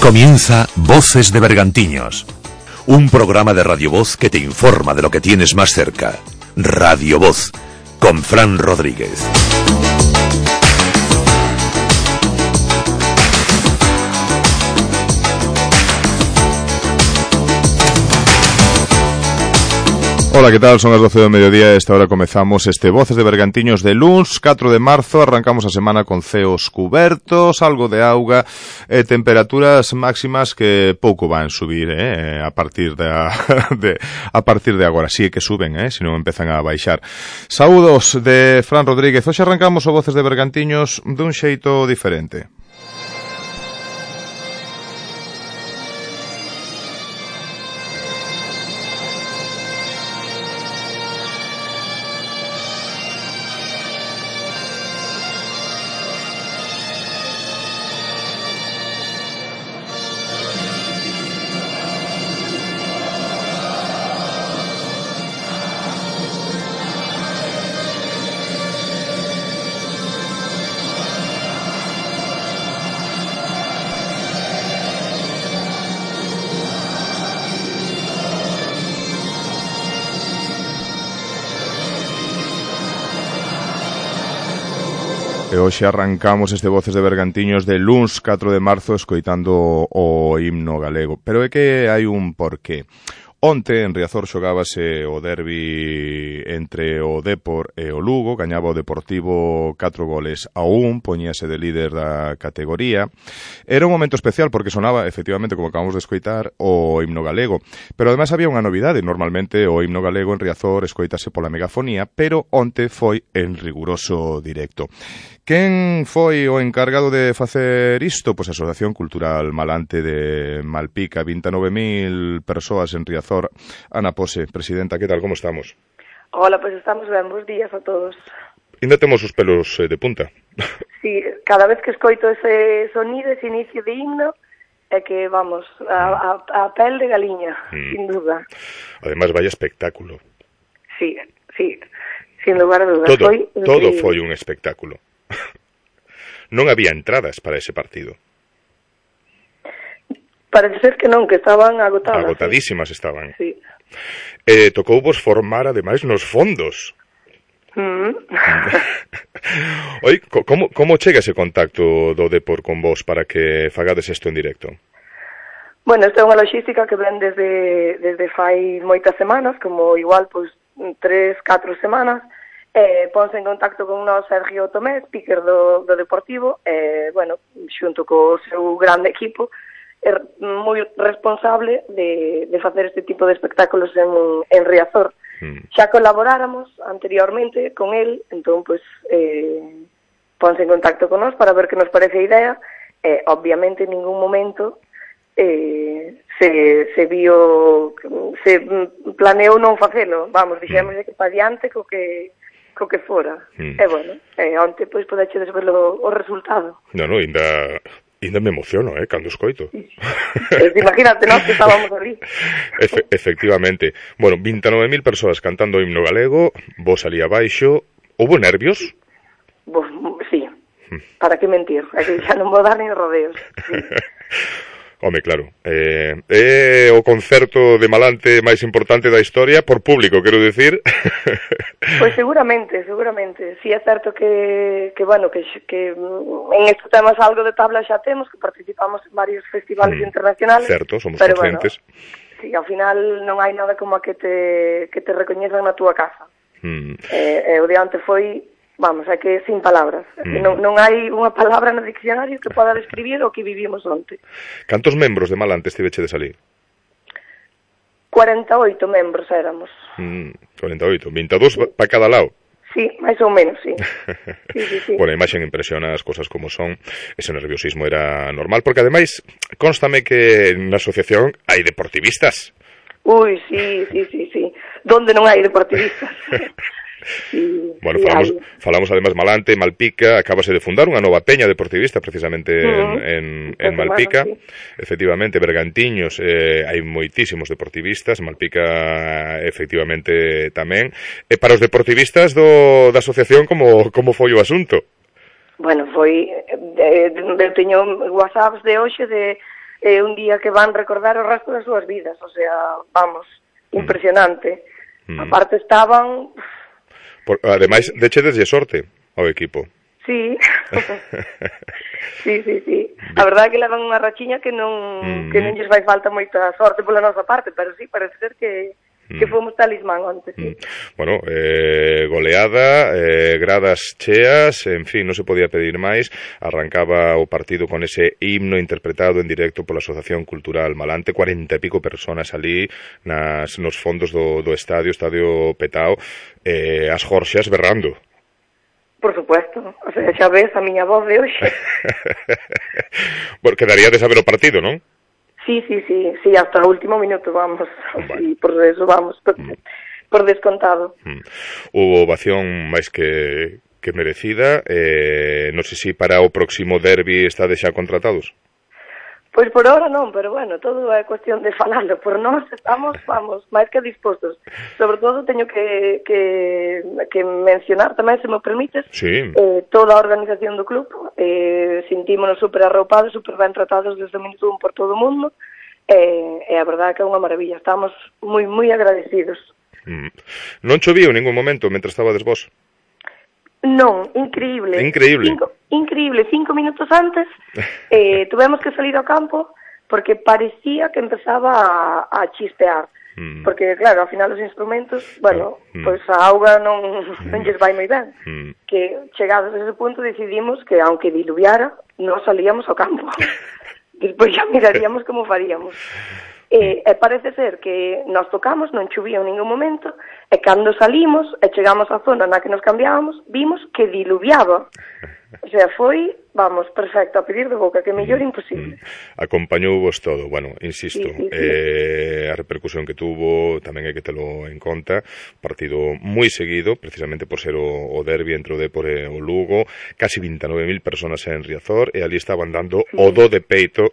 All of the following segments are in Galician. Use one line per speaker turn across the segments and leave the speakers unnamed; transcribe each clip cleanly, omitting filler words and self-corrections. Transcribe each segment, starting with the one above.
Comienza Voces de Bergantiños, un programa de Radio Voz que te informa de lo que tienes más cerca. Radio Voz, con Fran Rodríguez.
Ola, que tal? Son as 12 do mediodía e esta hora comezamos este Voces de Bergantiños de luns, 4 de marzo. Arrancamos a semana con ceos cubertos, algo de auga e temperaturas máximas que pouco van subir a partir de agora. Sí que suben, se non empezan a baixar. Saúdos de Fran Rodríguez. Hoxe arrancamos o Voces de Bergantiños dun xeito diferente. E hoxe arrancamos este Voces de Bergantiños de luns 4 de marzo escoitando o himno galego. Pero é que hai un porqué. Onte en Riazor xogábase o derbi entre o Depor e o Lugo, gañaba o Deportivo 4-1, poñíase de líder da categoría. Era un momento especial porque sonaba, efectivamente, como acabamos de escoitar, o himno galego. Pero ademais había unha novidade, normalmente o himno galego en Riazor escoitase pola megafonía, pero onte foi en riguroso directo. Quen foi o encargado de facer isto? Pois a Asociación Cultural Malante de Malpica, 29.000 persoas en Riazor. Ana Pose, presidenta, que tal, como estamos?
Hola, pois estamos ben, bons días a todos.
Ainda temos os pelos de punta.
Sí, cada vez que escoito ese sonido, ese inicio de himno, é que, vamos, a pel de galiña, sin duda.
Ademais, vaya espectáculo.
Sí, sin lugar a dudas.
Todo foi un espectáculo. Non había entradas para ese partido.
Parece ser que non, que estaban agotadas.
Agotadísimas estaban.
Sí.
Tocou vos formar, ademais, nos fondos. Oi, como chega ese contacto do Depor con vos para que fagades isto en directo?
Bueno, esta é unha logística que ven desde fai moitas semanas, como igual, pois, 3, 4 semanas. Ponse en contacto con nós Sergio Tomé, speaker do Deportivo, bueno, xunto co seu grande equipo, é moi responsable de facer este tipo de espectáculos en Riazor. Xa colaboráramos anteriormente con el, entón, pues, ponse en contacto con nós para ver que nos parece a idea. Obviamente, en ningún momento se planeou non facelo. Vamos, dixemos que pa diante co que fora. E bueno, onte pois podechedes ver o resultado.
Non, ainda me emociono, cando escoito.
Imagínate, nós que estábamos ali.
Efectivamente. Bueno, 29.000 persoas cantando o himno galego, vos ali abaixo. Houbo nervios?
Sí. Para que mentir? É que xa non vou dar nin rodeos. Sí.
Home, claro, é o concerto de Malante máis importante da historia, por público, quero dicir.
Pois seguramente. Si é certo que bueno, que en estes temas algo de tabla xa temos, que participamos en varios festivales internacionales.
Certo, somos conscientes.
Bueno, si, ao final non hai nada como a que te recoñezan na túa casa. O de onte foi... Vamos, é que sin palabras. Non hai unha palabra no diccionario que poda describir o que vivimos onte.
Cantos membros de Malante estivechedes ali?
48 membros éramos.
48, 22 para cada lado.
Sí, máis ou menos, sí. Sí.
Bueno, a imaxe impresiona as cosas como son. Ese nerviosismo era normal, porque ademais, constame que na asociación hai deportivistas.
Ui, sí. Donde non hai deportivistas?
Bueno, falamos además Malante, Malpica, acabase de fundar unha nova peña deportivista precisamente en Malpica, sí. Efectivamente, Bergantiños, hai moitísimos deportivistas, Malpica efectivamente tamén. E para os deportivistas da asociación, como foi o asunto?
Bueno, foi, eu teño whatsapps de hoxe de é un día que van recordar o resto das súas vidas, o sea, vamos, impresionante. Aparte estaban...
Ademais, dechedeslle sorte ao equipo.
Sí, sí. A verdade é que levan unha rachiña que non lles vai falta moita sorte pola nosa parte, pero sí, parece ser que fomos talismán onte, sí.
Bueno, goleada, gradas cheas, en fin, non se podía pedir máis. Arrancaba o partido con ese himno interpretado en directo pola Asociación Cultural Malante, 40 e pico personas ali nos fondos do estadio petao, as Jorxas berrando.
Por supuesto, o sea, xa ves a miña voz de hoxe.
Porque daría de saber o partido, non?
Sí, hasta o último minuto, vamos, sí, por eso vamos, por descontado.
Hubo ovación máis que merecida, non sei se para o próximo derbi estades xa contratados?
Pois por ahora non, pero bueno, todo é cuestión de falalo. Por nós estamos, vamos, máis que dispostos. Sobre todo teño que mencionar tamén, se me permites, toda a organización do club. Sentímonos super arroupados, super ben tratados desde o minuto 1 por todo o mundo. E a verdade é que é unha maravilla. Estamos moi, moi agradecidos.
Non choviu en ningún momento mentre estabades vos?
Non, increíble. Increíble, 5 minutos antes tuvemos que salir ao campo porque parecía que empezaba a chispear. Porque, claro, ao final os instrumentos, bueno, pois a auga non lles vai moi ben. Que chegados a ese punto decidimos que, aunque diluviara, non salíamos ao campo. Despois xa miraríamos como faríamos. E parece ser que nos tocamos, non chovía en ningún momento, e cando salimos e chegamos á zona na que nos cambiábamos, vimos que diluviaba. O sea, foi, vamos, perfecto, a pedir de boca, que mellor imposible.
Acompañouvos todo, bueno, insisto,
sí.
A repercusión que tuvo tamén hai que telo en conta, partido moi seguido, precisamente por ser o derbi entre o Dépor e o Lugo, casi 29.000 personas en Riazor, e ali estaban dando o do de peito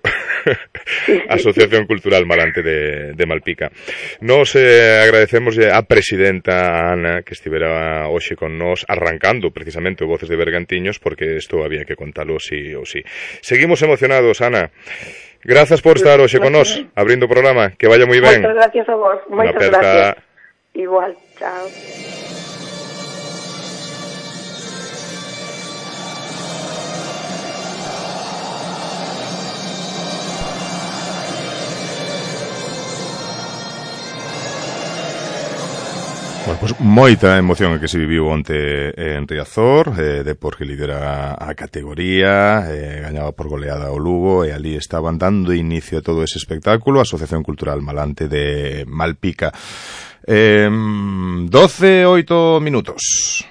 a Asociación Cultural Malante de Malpica. Nos agradecemos a presidenta Ana que estivera hoxe con nós arrancando precisamente o Voces de Bergantiños, porque isto había que contalo sí ou sí. Seguimos emocionados, Ana. Grazas por estar hoxe con nós, abrindo o programa. Que vaya moi ben.
Moitas gracias a vos. Moitas gracias. Igual, chao.
Bueno, pues moita emoción que se viviu onte en Riazor, Dépor que lidera a categoría, gañaba por goleada o Lugo, e ali estaban dando inicio a todo ese espectáculo, a Asociación Cultural Malante de Malpica. 12:08 minutos.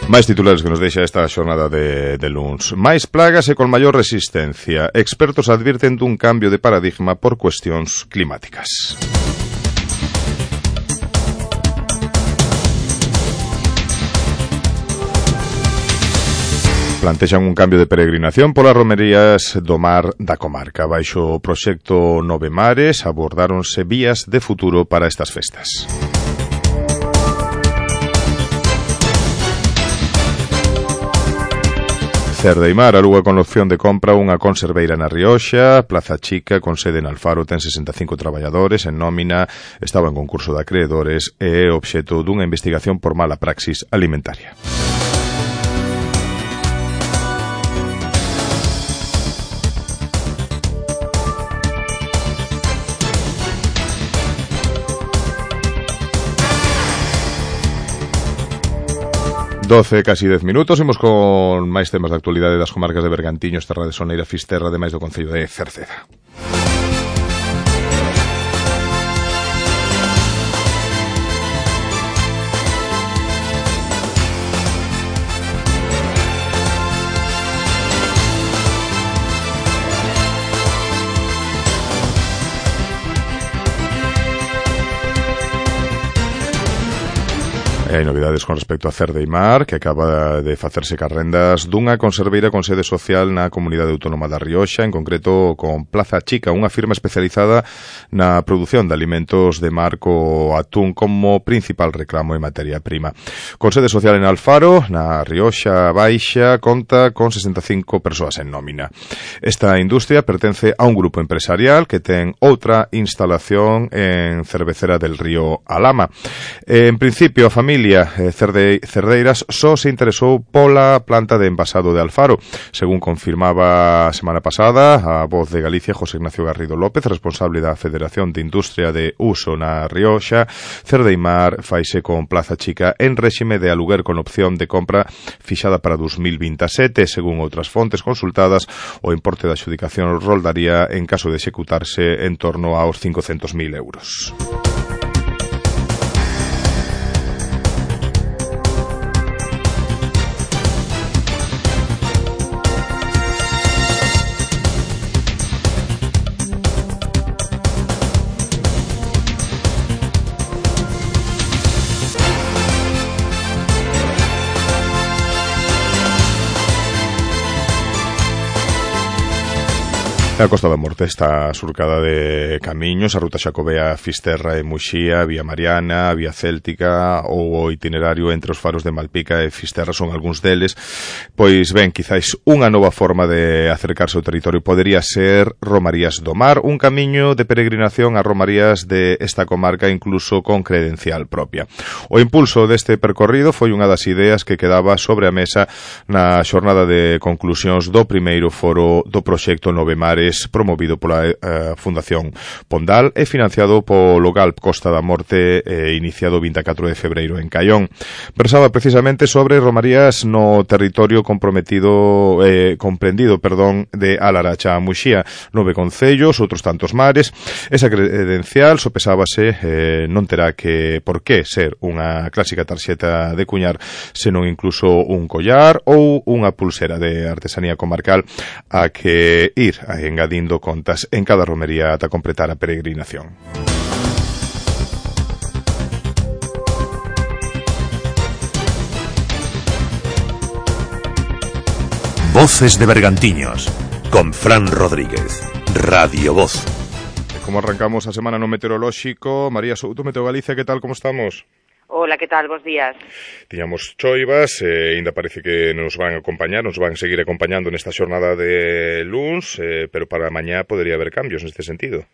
Máis titulares que nos deixa esta xornada de luns. Máis plagas e con maior resistencia. Expertos advirten dun cambio de paradigma por cuestións climáticas. Plantexan un cambio de peregrinación polas romerías do mar da comarca. Baixo o proxecto Nove Mares abordáronse vías de futuro para estas festas. Cerdeimar aluga con opción de compra unha conserveira na Rioxa. Plaza Chica, con sede en Alfaro, ten 65 traballadores en nómina, estaba en concurso de acreedores e é obxecto dunha investigación por mala praxis alimentaria. Casi 10 minutos, imos con máis temas de actualidade das comarcas de Bergantiños, Terra de Soneira, Fisterra, ademais do concello de Cerceda. E hai novidades con respecto a Cerdeimar, que acaba de facerse carrendas dunha conserveira con sede social na Comunidade Autónoma da Rioxa, en concreto con Plaza Chica, unha firma especializada na produción de alimentos de mar co atún como principal reclamo e materia prima. Con sede social en Alfaro, na Rioxa Baixa, conta con 65 persoas en nómina. Esta industria pertence a un grupo empresarial que ten outra instalación en Cervecera del Río Alama. En principio, a familia Cerdeiras só se interesou pola planta de envasado de Alfaro, según confirmaba a semana pasada a Voz de Galicia José Ignacio Garrido López, responsable da Federación de Industria de Uso na Rioxa. Cerdeimar faise con Plaza Chica en réxime de aluguer con opción de compra fixada para 2027. Según outras fontes consultadas, o importe da adxudicación roldaría, en caso de executarse, en torno aos 500.000 euros. A Costa da Morte está surcada de camiños, a ruta xacobea Fisterra e Muxía, Vía Mariana, Vía Céltica ou o itinerario entre os faros de Malpica e Fisterra son algúns deles. Pois ben, quizáis unha nova forma de acercarse ao territorio podería ser Romarías do Mar, un camiño de peregrinación a romarías de esta comarca incluso con credencial propia. O impulso deste percorrido foi unha das ideas que quedaba sobre a mesa na xornada de conclusións do primeiro foro do proxecto Nove Mares, promovido pola Fundación Pondal e financiado polo GALP Costa da Morte, iniciado o 24 de febreiro en Caión. Versaba precisamente sobre romarías no territorio comprendido de Alaracha a Muxía, 9 concellos, outros tantos mares. Esa credencial sopesábase, non terá que por que ser unha clásica tarxeta de cuñar, senón incluso un collar ou unha pulsera de artesanía comarcal a que ir engadindo contas en cada romería ata completar a peregrinación.
Voces de Bergantiños, con Fran Rodríguez, Radio Voz.
Como arrancamos a semana no meteorolóxico, María Souto, Meteo Galicia, que tal, como estamos?
Hola, que tal? Bos días.
Tiñamos choivas, ainda parece que nos van a acompañar, nos van a seguir acompañando nesta xornada de luns, pero para mañá podería haber cambios neste sentido.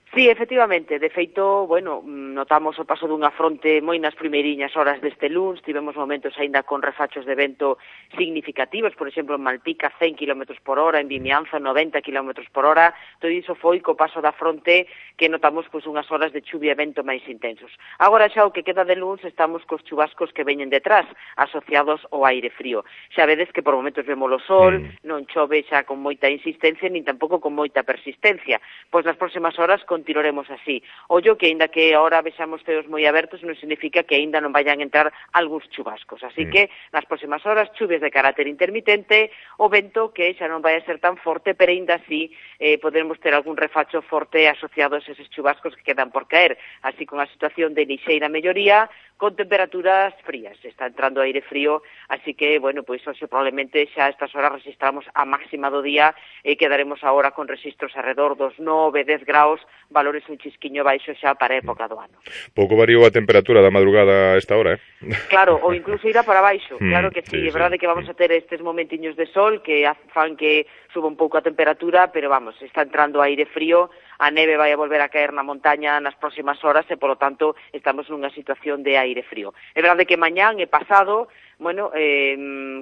Sí, efectivamente, de feito, bueno, notamos o paso dunha fronte moi nas primeiriñas horas deste luns, tivemos momentos aínda con refachos de vento significativos, por exemplo, en Malpica 100 km por hora, en Vimianzo 90 km por hora, todo iso foi co paso da fronte que notamos pois unhas horas de chuvia e vento máis intensos. Agora xa o que queda de luns estamos cos chubascos que veñen detrás, asociados ao aire frío. Xa vedes que por momentos vemos o sol, non chove xa con moita insistencia, nin tampouco con moita persistencia, pois nas próximas horas continuaremos así. Ollo que, aínda que ahora vexamos ceos moi abertos, non significa que aínda non vayan a entrar algúns chubascos. Así que, nas próximas horas, chuvias de carácter intermitente, o vento que xa non vai a ser tan forte, pero aínda así poderemos ter algún refacho forte asociados a eses chubascos que quedan por caer. Así, con a situación de lixeira melloría, con temperaturas frías. Está entrando aire frío, así que, bueno, pois hoxe probablemente xa a estas horas registramos a máxima do día e quedaremos agora con registros alrededor dos 9-10 graus, valores un chisquiño baixo xa para a época do ano.
Pouco variou a temperatura da madrugada a esta hora,
Claro, ou incluso irá para baixo, claro que sí, é verdade que vamos a ter estes momentiños de sol que fan que suba un pouco a temperatura, pero vamos, está entrando aire frío, a neve vai a volver a caer na montaña nas próximas horas e, polo tanto, estamos nunha situación de aire frío. É verdade que mañán e pasado, bueno,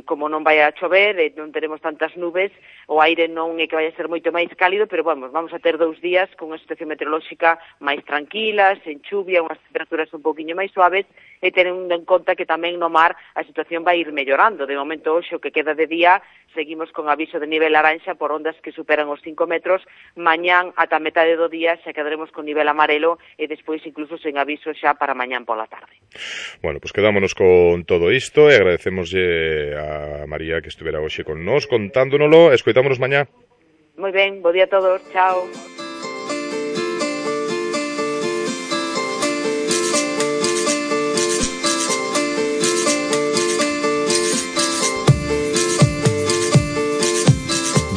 como non vai a chover e non teremos tantas nubes, o aire non é que vai a ser moito máis cálido, pero vamos a ter 2 días con unha situación meteorolóxica máis tranquila, sen chuvia, unhas temperaturas un pouquiño máis suaves, e tendo en conta que tamén no mar a situación vai ir mellorando. De momento, hoxe, o que queda de día, seguimos con aviso de nivel laranxa por ondas que superan os 5 metros, mañán ata metade do día xa quedaremos con nivel amarelo e despois incluso sen aviso xa para mañán pola tarde.
Bueno, pues quedámonos con todo isto e agradecemoslle a María que estuvera hoxe con nós contándonoslo. Escoitámonos mañá.
Moi ben, bo día a todos, chao.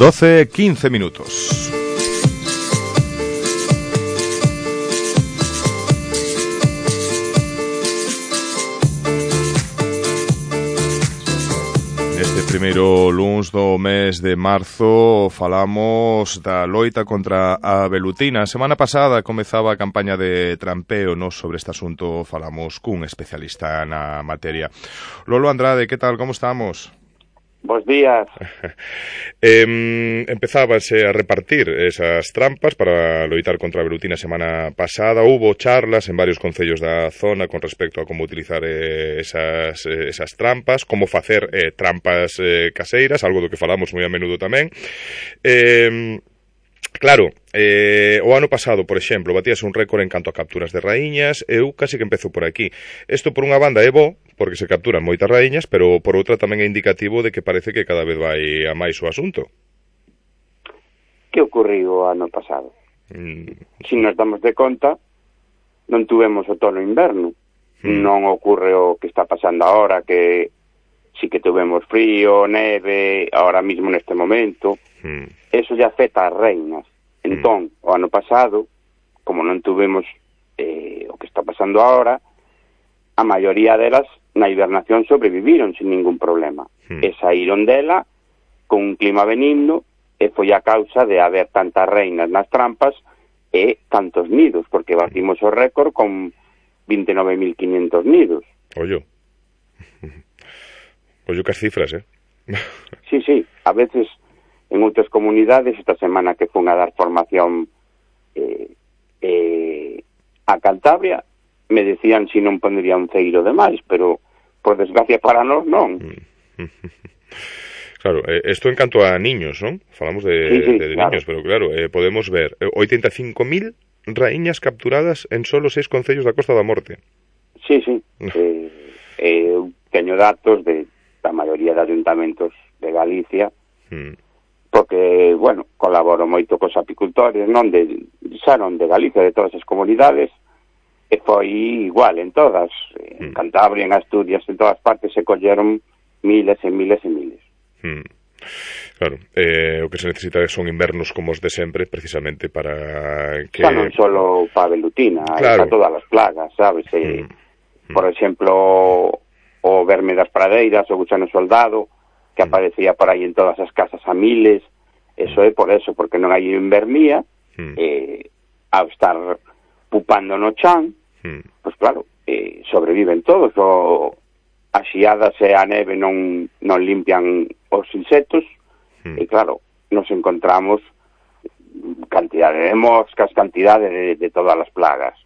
12:15 minutos. Este primeiro luns do mes de marzo falamos da loita contra a velutina. A semana pasada comezaba a campaña de trampeo, nos sobre este asunto falamos cun especialista na materia. Lolo Andrade, que tal, como estamos?
Bos días.
Empezábase a repartir esas trampas para loitar contra a velutina a semana pasada. Hubo charlas en varios concellos da zona con respecto a como utilizar esas trampas, como facer trampas caseiras, algo do que falamos moi a menudo tamén. Claro, o ano pasado, por exemplo, batíase un récord en canto a capturas de raíñas. Eu casi que empezo por aquí. Isto por unha banda é bo, porque se capturan moitas raíñas, pero por outra tamén é indicativo de que parece que cada vez vai a máis o asunto.
Que ocorriu o ano pasado? Si nos damos de conta, non tuvemos outono e inverno. Non ocorre o que está pasando agora, que si que tuvemos frío, neve, ahora mismo neste momento. Eso ya afecta as reinas. Entón, o ano pasado, como non tuvemos o que está pasando agora, a maioría delas na hibernación sobreviviron sin ningún problema. E saíron dela con un clima benigno, e foi a causa de haber tantas reinas nas trampas e tantos nidos, porque batimos o récord con 29.500 nidos.
Ollo que as cifras,
Sí, a veces en outras comunidades, esta semana que fun a dar formación a Cantabria, me decían si non pondría un ceiro de máis, pero por desgracia para nós non.
Claro, isto en canto a niños, non? Falamos de claro. Niños, pero claro, podemos ver 85.000 raíñas capturadas en solo 6 concellos da Costa da Morte.
Sí. Teño datos da maioría de ayuntamentos de Galicia, porque, bueno, colaboro moito cos apicultores, non non de Galicia, de todas as comunidades, e foi igual en todas, en Cantabria, en Asturias, en todas partes se colleron miles e miles e miles.
Claro, o que se necesita son invernos como os de sempre, precisamente para que...
Xa non solo para velutina,
claro.
Para todas as plagas, sabes? Por exemplo, o verme das pradeiras, o gusano soldado, que aparecía por aí en todas as casas a miles, eso é por eso, porque non hai invernía, ao estar pupando no chan, pois claro, sobreviven todos, as xiadas e a neve non limpian os insectos, e claro, nos encontramos cantidade de moscas, cantidade de todas as plagas.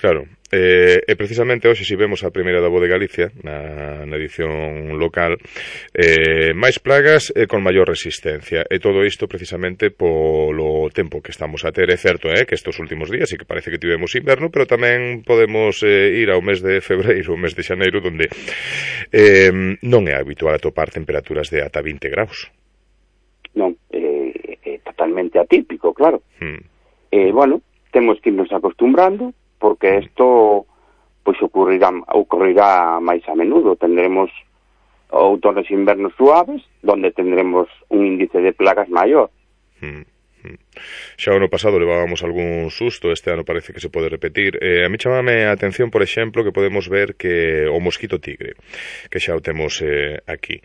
Claro, e precisamente hoxe si vemos a primeira da Voz de Galicia na edición local, máis plagas e con maior resistencia, e todo isto precisamente polo tempo que estamos a ter. É certo que estes últimos días sí que parece que tivemos inverno, pero tamén podemos ir ao mes de febreiro, o mes de xaneiro, donde non é habitual atopar temperaturas de ata 20 graus. Non,
é totalmente atípico, claro. Bueno, temos que irnos acostumbrando, porque isto pois ocurrirá máis a menudo. Tendremos outonos e invernos suaves, donde tendremos un índice de plagas maior.
Xa o ano pasado levábamos algún susto, este ano parece que se pode repetir. A mí chamame a atención, por exemplo, que podemos ver que o mosquito tigre, que xa o temos aquí.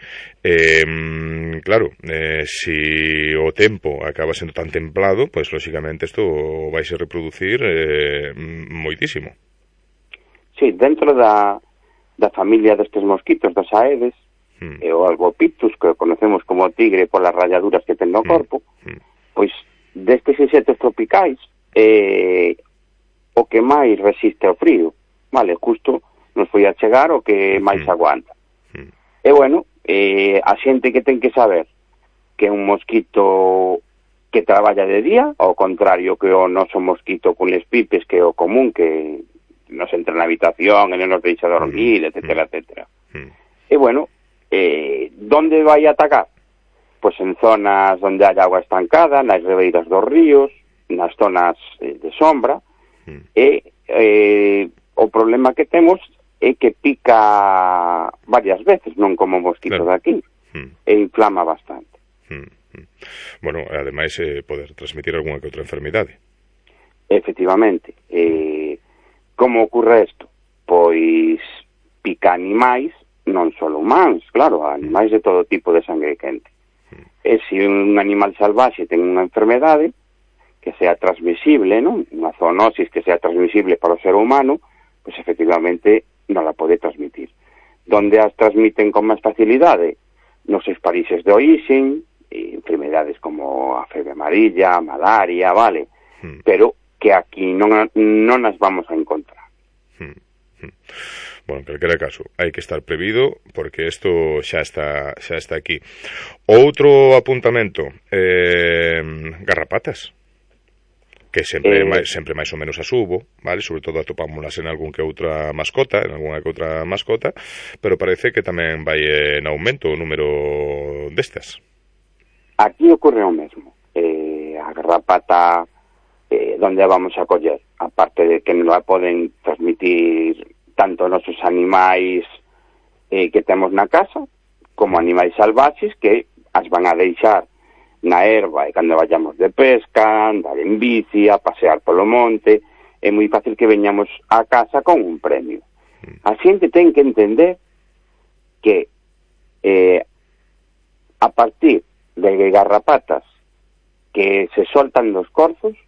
Claro, si o tempo acaba sendo tan templado, pois lóxicamente isto vai se reproducir moitísimo.
Sí, dentro da familia destes mosquitos, das aedes, e o Albopictus, que conocemos como tigre polas ralladuras que ten no corpo, pois destes insectos tropicais o que máis resiste ao frío, vale, justo nos foi a chegar o que máis aguanta. E bueno, a xente que ten que saber que un mosquito que traballa de día, ao contrario que o noso mosquito con les pipes, que é o común, que nos entra na habitación e non nos deixa dormir, etcétera, etcétera. E bueno, donde vai a atacar? Pois en zonas onde hai agua estancada, nas ribeiras dos ríos, nas zonas de sombra, e o problema que temos é que pica varias veces, non como o mosquito de aquí, e inflama bastante.
Bueno, ademais poder transmitir algunha que outra enfermidade.
Efectivamente. Como ocurre isto? Pois pica animais, non só humanos, claro, animais de todo tipo de sangue quente. E se un animal salvaxe ten unha enfermedade que sea transmisible, non? Unha zoonosis que sea transmisible para o ser humano, pois efectivamente non la pode transmitir. Donde as transmiten con máis facilidade? Nos seus países de orixen, enfermedades como a febre amarilla, malaria, vale? Pero que aquí non as vamos a encontrar.
Bueno, en calquera caso, hai que estar prevido porque isto xa está aquí. Outro apuntamento, garrapatas, que sempre máis ou menos as hubo, vale? Sobre todo atopámolas en algunha que outra mascota, pero parece que tamén vai en aumento o número destas. Aquí
ocorre o mesmo. A garrapata, donde a vamos a coller? Aparte de que non a poden transmitir tanto nosos animais que temos na casa, como animais salvaxes que as van a deixar na erva e cando vayamos de pesca, andar en bici, a pasear polo monte, é moi fácil que veñamos a casa con un premio. A xente ten que entender que a partir de garrapatas que se soltan dos corzos,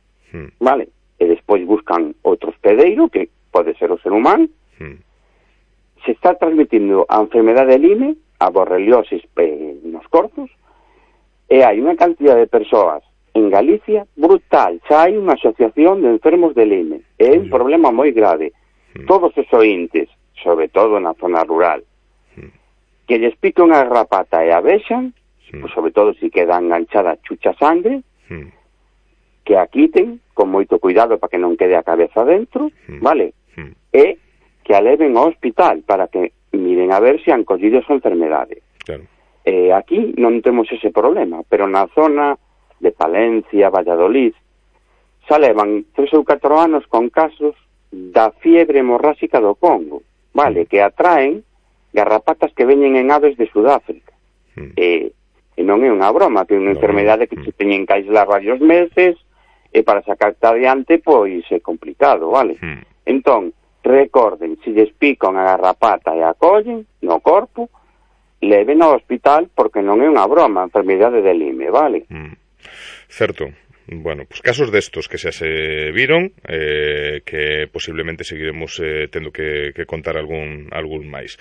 vale, e despois buscan outro hospedeiro, que pode ser o ser humano, se está transmitindo a enfermedade de Lyme, a borreliosis nos corzos, e hai unha cantidad de persoas en Galicia brutal. Xa hai unha asociación de enfermos de Lyme. É un problema moi grave. Todos os ointes, sobre todo na zona rural, que lles pica unha garrapata e a vexan, pues sobre todo se queda enganchada chucha sangre, que a quiten con moito cuidado para que non quede a cabeza dentro, vale? E que a leven ao hospital para que miren a ver se han collido esa enfermedade. Claro. Aquí non temos ese problema, pero na zona de Palencia, Valladolid, xa levan 3 ou 4 anos con casos da fiebre hemorráxica do Congo, vale, que atraen garrapatas que veñen en aves de Sudáfrica. E non é unha broma, que é unha enfermedade que se teñen que aislar varios meses, e para sacarte adiante, pois é complicado, vale? Entón, recorden, se lles pica unha garrapata e a collen no corpo, leven ao hospital porque non é unha broma, a enfermidade de Lyme, vale?
Certo. Bueno, pues casos destos que xa se viron, que posiblemente seguiremos tendo que contar algún máis.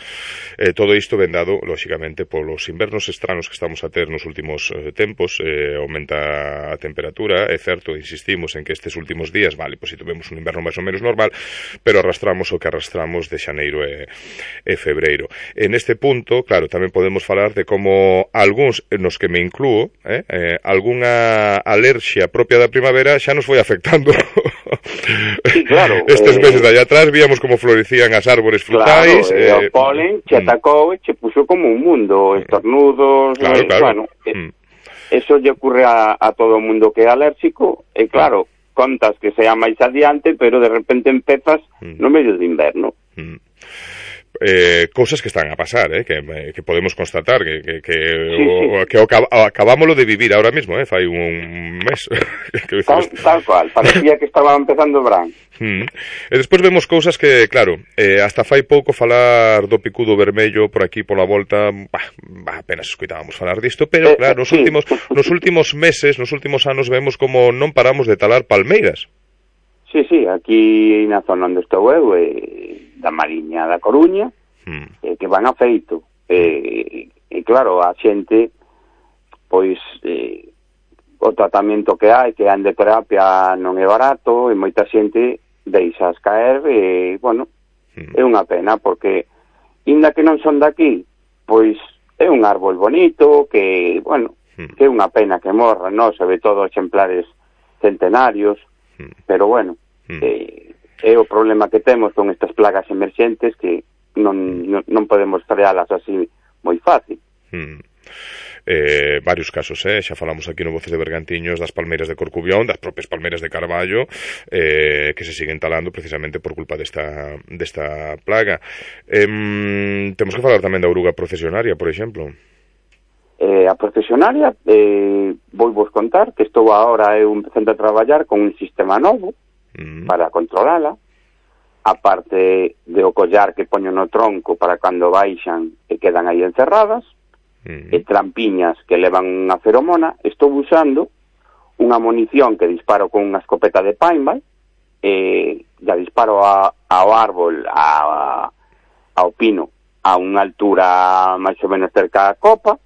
Todo isto ven dado, lóxicamente, polos invernos estranos que estamos a ter nos últimos tempos, aumenta a temperatura, é certo, insistimos en que estes últimos días, vale, pois si tuvemos un inverno máis ou menos normal, pero arrastramos o que arrastramos de xaneiro e febreiro. En este punto, claro, tamén podemos falar de como algúns, nos que me inclúo, algunha alerxia propia da primavera xa nos foi afectando.
Sí, claro.
Estes meses de allá atrás víamos como florecían as árbores frutais.
Claro, o polen che atacou e che puxo como un mundo, estornudos,
claro.
Bueno, eso lle ocurre a todo o mundo que é alérxico, e claro, contas que sea máis adiante, pero de repente empezas no medio de inverno.
Cousas que están a pasar, que podemos constatar que acabámoslo de vivir ahora mismo, fai un mes.
Tal cual, parecía que estaba empezando o verán.
E despois vemos cousas que, claro, hasta fai pouco falar do picudo vermello por aquí pola volta, apenas escoitábamos falar disto, pero claro, nos últimos meses, nos últimos anos vemos como non paramos de talar palmeiras.
Sí, aquí na zona onde estou eu, da Mariña da Coruña, que van a feito. E claro, a xente, pois, o tratamento que hai, que a endoterapia non é barato, e moita xente deixas caer, e, bueno, é unha pena, porque, inda que non son daqui, pois, é un árbol bonito, que, bueno, que é unha pena que morra, non? Sobre todo exemplares centenarios, pero, bueno, é o problema que temos con estas plagas emerxentes que non podemos frealas así moi fácil.
Varios casos, xa falamos aquí no Voces de Bergantiños das palmeiras de Corcubión, das propias palmeiras de Carballo, que se siguen talando precisamente por culpa desta plaga. Temos que falar tamén da oruga procesionaria, por exemplo.
A procesionaria, vou vos contar que estou agora eu empezando a traballar con un sistema novo para controlala, aparte de o collar que poño no tronco para cando baixan e quedan aí encerradas, e trampiñas que levan unha feromona. Estou usando unha munición que disparo con unha escopeta de paintball, ya disparo ao árbol, ao pino, a unha altura máis ou menos cerca da copa.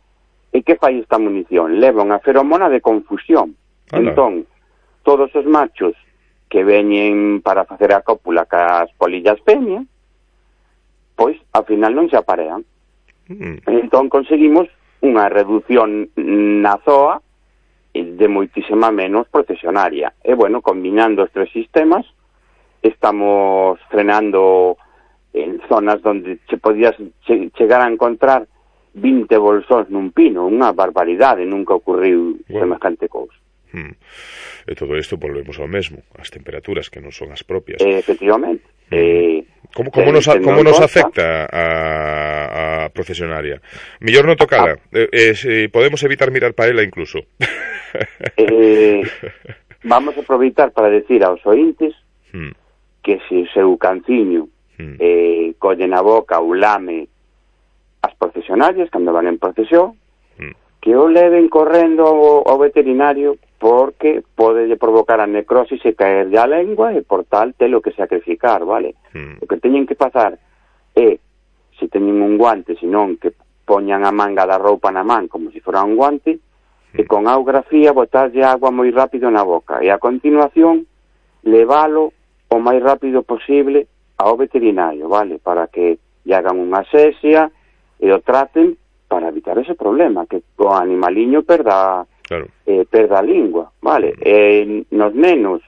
E que fai esta munición? Leva unha feromona de confusión. Entón, todos os machos que veñen para facer a cópula cas polillas femias, pois, ao final non se aparean. Entón, conseguimos unha reducción na zoa de moitísima menos procesionaria. E, bueno, combinando os tres sistemas, estamos frenando en zonas onde se podías chegar a encontrar 20 bolsóns nun pino, unha barbaridade, nunca ocurriu semejante cousa.
E todo isto volvemos ao mesmo, as temperaturas que non son as propias.
Efectivamente.
Como nos afecta a procesionaria? Mellor non tocala, podemos evitar mirar para ela incluso.
Vamos a aproveitar para decir aos ointes que se o seu canciño colle na boca ou lame as procesionarias cando van en procesión, que o leven correndo ao veterinario, porque pode provocar a necrosis e caer a lengua e por tal telo que sacrificar, vale? O que teñen que pasar é, se teñen un guante, senón que poñan a manga da roupa na man como se fora un guante, e con auga fría botarlle agua moi rápido na boca, e a continuación levalo o máis rápido posible ao veterinario, vale? Para que lle hagan unha asepsia e o traten para evitar ese problema, que o animaliño perda a lingua, vale? Nos nenos,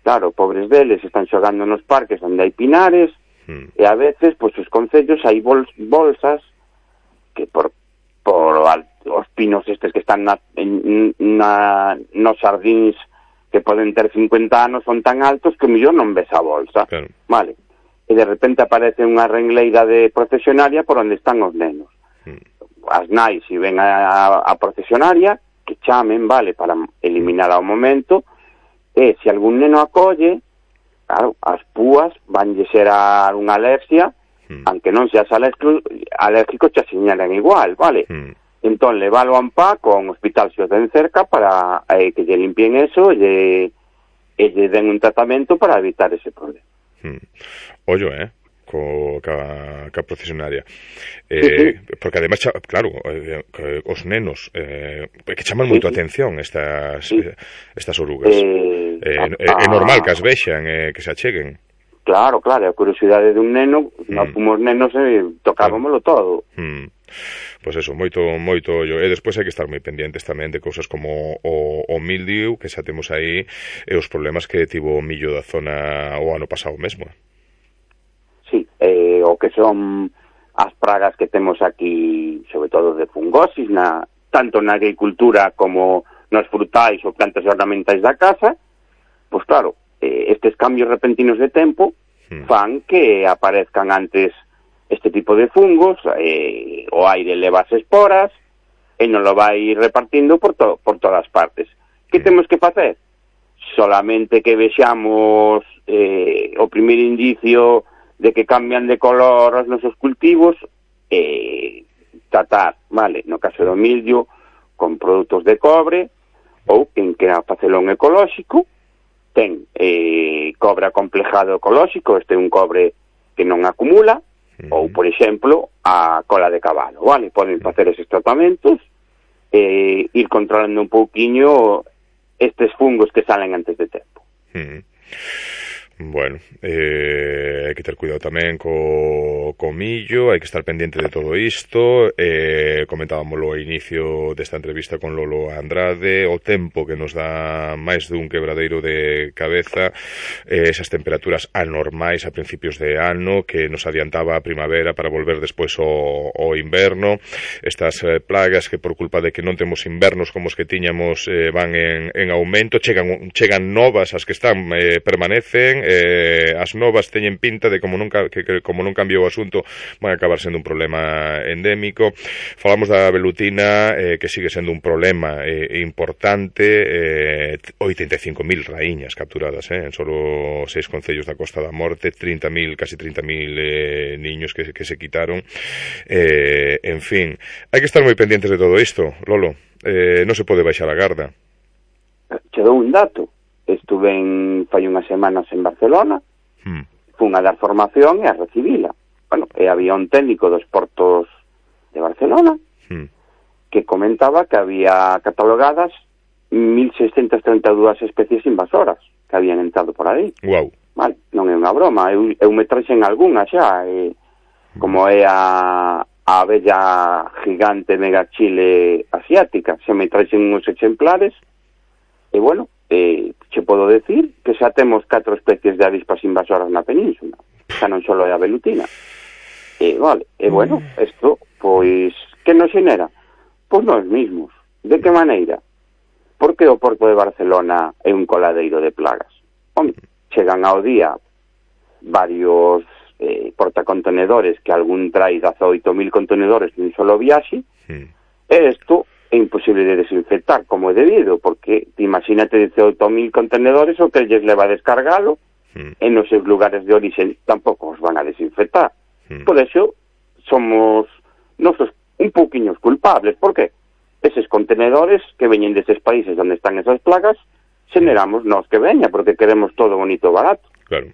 claro, pobres deles, están xogando nos parques onde hai pinares, e a veces, pois, os concellos hai bolsas que por os pinos estes que están nos xardíns que poden ter 50 anos son tan altos que mellor non ves a bolsa, vale? E de repente aparece unha rengleira de procesionaria por onde están os nenos. As nais, se ven a procesionaria, que chamen, vale, para eliminar ao momento, e se algún neno acolle, claro, as púas vanlle ser a unha alergia, aunque non seas alérgico, te señalan igual, vale? Entón, levalo a Ampá con hospital se os den cerca para que lle limpien eso e lle den un tratamento para evitar ese problema.
Ollo, ca procesionaria. Porque ademais, claro, os nenos que chaman moito a atención estas orugas. É normal que as vexan, que se acheguen.
Claro, a curiosidade dun neno, nós fomos nenos e tocábamolo todo.
Pois eso, moito ollo. E despois hai que estar moi pendientes tamén de cousas como o mildiu, que xa temos aí, e os problemas que tivo o millo da zona o ano pasado mesmo.
Sí, o que son as pragas que temos aquí, sobre todo de fungosis, tanto na agricultura como nos frutais ou plantas ornamentais da casa, pois claro, estes cambios repentinos de tempo fan que aparezcan antes este tipo de fungos, o aire leva as esporas e non lo vai repartindo por todas partes. Que temos que facer? Solamente que vexamos o primeiro indicio de que cambian de color os nosos cultivos, tratar, vale, no caso do mildio, con produtos de cobre, ou quen quera facelo un ecolóxico, ten cobre acomplejado ecolóxico, este é un cobre que non acumula, ou, por exemplo, a cola de cabalo, vale? Poden facer eses tratamentos e ir controlando un pouquiño estes fungos que salen antes de tempo.
Bueno, hai que ter cuidado tamén co millo, hai que estar pendiente de todo isto. Comentábamoslo ao inicio desta entrevista con Lolo Andrade, o tempo que nos dá máis dun quebradeiro de cabeza, esas temperaturas anormais a principios de ano que nos adiantaba a primavera para volver despois ao inverno, estas plagas que por culpa de que non temos invernos como os que tiñamos van en aumento, chegan novas, as que están permanecen, as novas teñen pinta de como non cambiou o asunto vai acabar sendo un problema endémico. Falamos da velutina, que sigue sendo un problema importante, 85.000 raíñas capturadas en solo 6 concellos da Costa da Morte, 30.000, casi 30.000 niños que se quitaron, en fin, hai que estar moi pendientes de todo isto, Lolo. Non se pode baixar a garda.
Che dou un dato. Estuve fai unhas semanas en Barcelona, fun a dar formación e a recibila. Bueno, e había un técnico dos portos de Barcelona que comentaba que había catalogadas 1.632 especies invasoras que habían entrado por aí.
Wow.
Vale, non é unha broma, eu me traxen algunha xa, como é a abella gigante megachile asiática, se me traxen uns exemplares, e bueno, che podo decir que xa temos 4 especies de avispas invasoras na península, xa non só é a velutina. Vale, bueno, isto, pois, que nos xenera? Pois nós mismos. De que maneira? Porque o Porto de Barcelona é un coladeiro de plagas. Home, chegan ao día varios portacontenedores, que algún trai 18.000 contenedores nun solo viaxe, e isto é imposible de desinfectar como é debido, porque imagínate 18.000 contenedores o que lles leva a descargalo, e nos seus lugares de origen tampouco os van a desinfectar. Por eso somos nosos un pouquiños culpables. Por que? Eses contenedores que veñen deses países onde están esas plagas, xeneramos nós que veña, porque queremos todo bonito e barato.
Claro.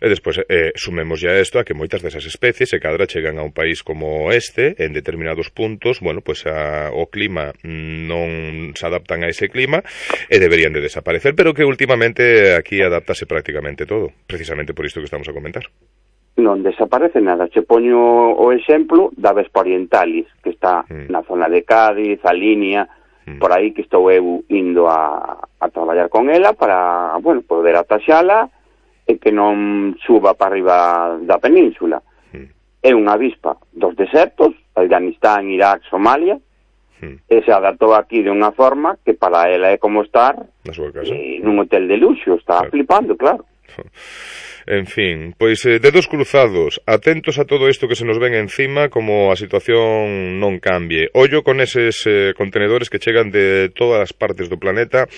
E despois sumemos ya isto a que moitas desas especies se cadra chegan a un país como este, en determinados puntos, bueno, pues o clima non se adaptan a ese clima e deberían de desaparecer, pero que últimamente aquí adaptase prácticamente todo, precisamente por isto que estamos a comentar.
Non desaparece nada. Che poño o exemplo da Vespa orientalis, que está na zona de Cádiz, a línea, por aí que estou eu indo a traballar con ela para, bueno, poder ataxala e que non suba para arriba da península. É unha avispa dos desertos, Afganistán, Irak, Somalia, e se adaptou aquí de unha forma que para ela é como estar nun hotel de luxo, está flipando, claro.
En fin, pois dedos cruzados, atentos a todo isto que se nos ven encima, como a situación non cambie. Ollo con eses contenedores que chegan de todas as partes do planeta,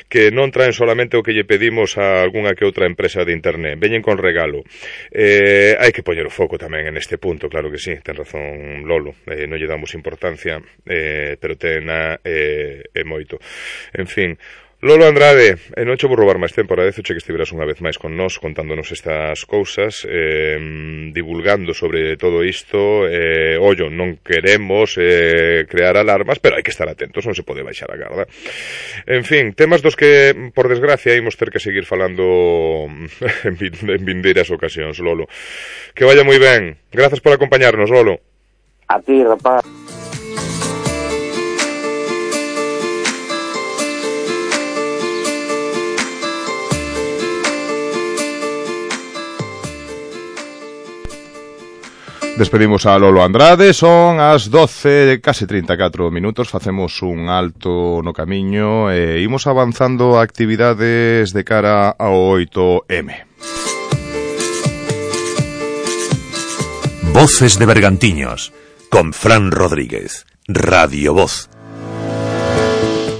que non traen solamente o que lle pedimos a algunha que outra empresa de internet, veñen con regalo. Hai que poñer o foco tamén en este punto, claro que sí, ten razón Lolo, non lle damos importancia, pero tena moito. En fin, Lolo Andrade, non che vou roubar máis tempo, agradezoche que estiveras unha vez máis con nós contándonos estas cousas, divulgando sobre todo isto. Ollo, non queremos crear alarmas, pero hai que estar atentos, non se pode baixar a garda. En fin, temas dos que, por desgracia, imos ter que seguir falando en vindeiras ocasións, Lolo. Que vaya moi ben. Grazas por acompañarnos, Lolo.
A ti, rapaz.
Despedimos a Lolo Andrade, son as 12, case 34 minutos, facemos un alto no camiño e imos avanzando a actividades de cara ao 8M.
Voces de Bergantiños, con Fran Rodríguez, Radio Voz.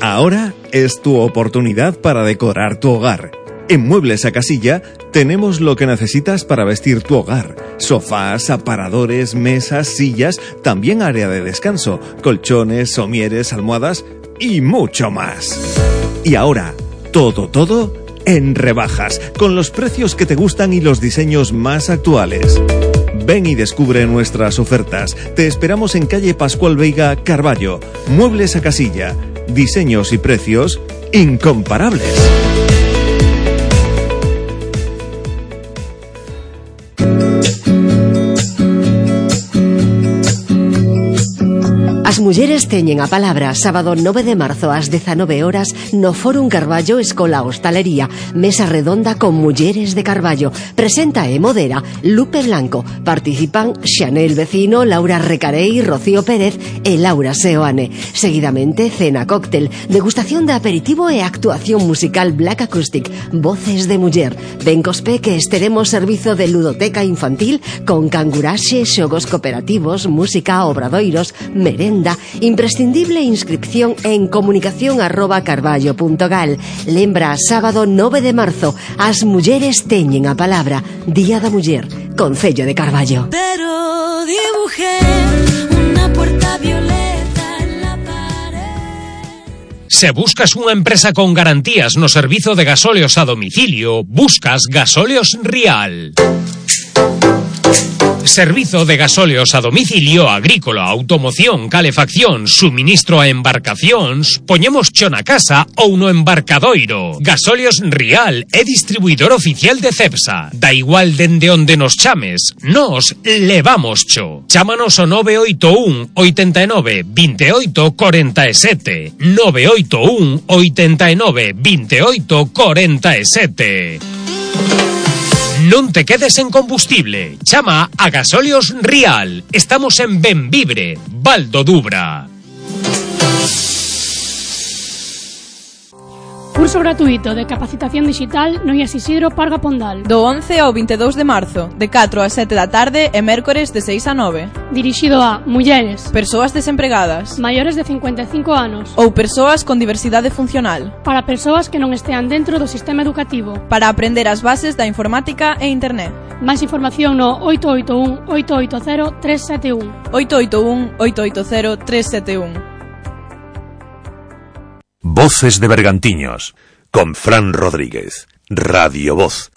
Ahora es tu oportunidad para decorar tu hogar. En Muebles a Casilla tenemos lo que necesitas para vestir tu hogar. Sofás, aparadores, mesas, sillas, también área de descanso, colchones, somieres, almohadas y mucho más. Y ahora, todo en rebajas, con los precios que te gustan y los diseños más actuales. Ven y descubre nuestras ofertas. Te esperamos en calle Pascual Veiga, Carballo. Muebles a Casilla. Diseños y precios incomparables.
As mulleres teñen a palabra sábado 9 de marzo ás 19 horas no Fórum Carballo Escola Hostalería. Mesa redonda con mulleres de Carballo. Presenta e modera Lupe Blanco. Participan Xanel Vecino, Laura Recarei, Rocío Pérez e Laura Seoane. Seguidamente, cena cóctel, degustación de aperitivo e actuación musical Black Acoustic, voces de muller. Ben cospe que esteremos servizo de ludoteca infantil con canguraxe, xogos cooperativos, música, obradoiros, merenda, imprescindible inscripción en comunicación@carballo.gal. Lembra, sábado 9 de marzo, as mulleres teñen a palabra. Día da Muller, Concello de Carballo.
Pero dibujé una puerta violeta en la pared.
Se buscas unha empresa con garantías no servizo de gasóleos a domicilio, buscas Gasóleos Rial. Servizo de gasóleos a domicilio, agrícola, automoción, calefacción, suministro a embarcacións, poñemos cho na casa ou no embarcadoiro. Gasóleos Rial é distribuidor oficial de Cepsa. Da igual dende onde nos chames, nos levamos cho. Chámanos ao 981 89 28 47. 981 89 28 47. Non te quedes en combustible. Chama a Gasóleos Rial. Estamos en Benvibre, Val do Dubra.
Curso gratuito de capacitación digital no IES Isidro Parga Pondal.
Do 11 ao 22 de marzo, de 4 a 7 da tarde e mércores de 6 a 9.
Dirixido a mulleres,
persoas desempregadas,
maiores de 55 anos
ou persoas con diversidade funcional.
Para persoas que non estean dentro do sistema educativo.
Para aprender as bases da informática e internet.
Máis información no 881 880 371.
881 880 371.
Voces de Bergantiños, con Fran Rodríguez, Radio Voz.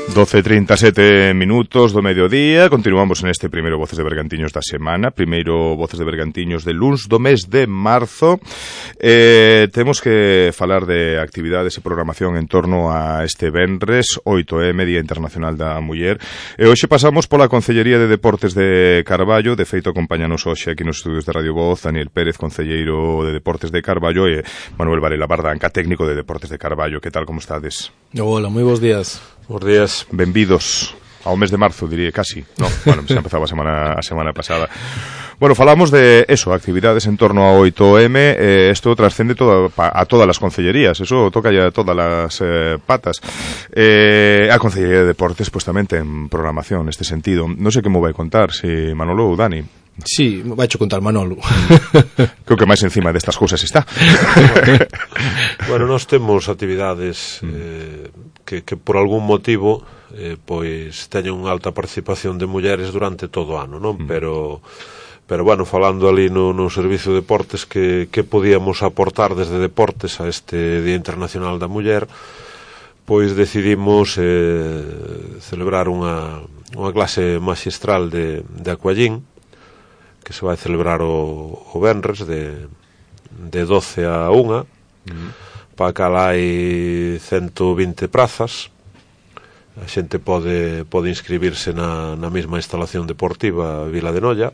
12:37 minutos do mediodía. Continuamos en este primeiro Voces de Bergantiños da semana. Primeiro Voces de Bergantiños de luns do mes de marzo. Temos que falar de actividades e programación en torno a este venres 8M, Día Internacional da Muller. E hoxe pasamos pola Concellería de Deportes de Carballo. De feito, acompáñanos hoxe aquí nos estudios de Radio Voz Daniel Pérez, concelleiro de Deportes de Carballo, e Manuel Varela Bardanca, técnico de Deportes de Carballo. Que tal, como estades?
Hola, moi bons días.
Bos días. Benvidos ao mes de marzo, diría, casi. No, bueno, xa empezaba a semana pasada. Bueno, falamos de eso, actividades en torno ao 8M. Esto trascende a todas as concellerías, eso toca ya a todas as patas. A Concellería de Deportes, pues tamén ten programación neste sentido. Non sei que me vai contar, si Manolo ou Dani.
Sí, vai cho contar Manolo.
Creo que máis encima destas cousas está.
Bueno, nós temos actividades que por algún motivo pois teñen unha alta participación de mulleres durante todo o ano, non? Pero bueno, falando ali no Servicio de Deportes, que podíamos aportar desde Deportes a este Día Internacional da Muller, pois decidimos celebrar unha clase maxistral de aquallín, que se vai celebrar o venres de 12 a 1. Para cal hai 120 prazas. A xente pode inscribirse na mesma instalación deportiva Vila de Noia.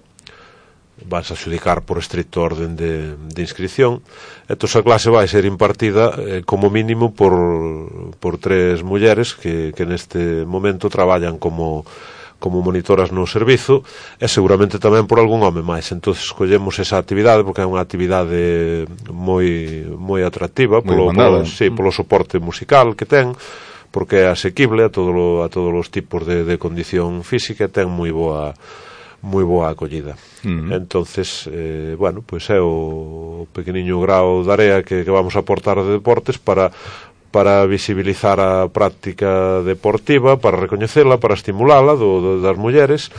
Vas a xudicar por estricto orden de inscripción. Entón a clase vai ser impartida como mínimo por 3 mulleres que neste momento traballan como monitoras no servizo, e seguramente tamén por algún home máis. Entón escollemos esa actividade porque é unha actividade moi atractiva polo soporte musical que ten, porque é asequible a todos os tipos de condición física, e ten moi boa acollida. Entonces, bueno, pois é o pequeniño grao de area que vamos a aportar de deportes para visibilizar a práctica deportiva, para recoñecela, para estimulala das mulleres.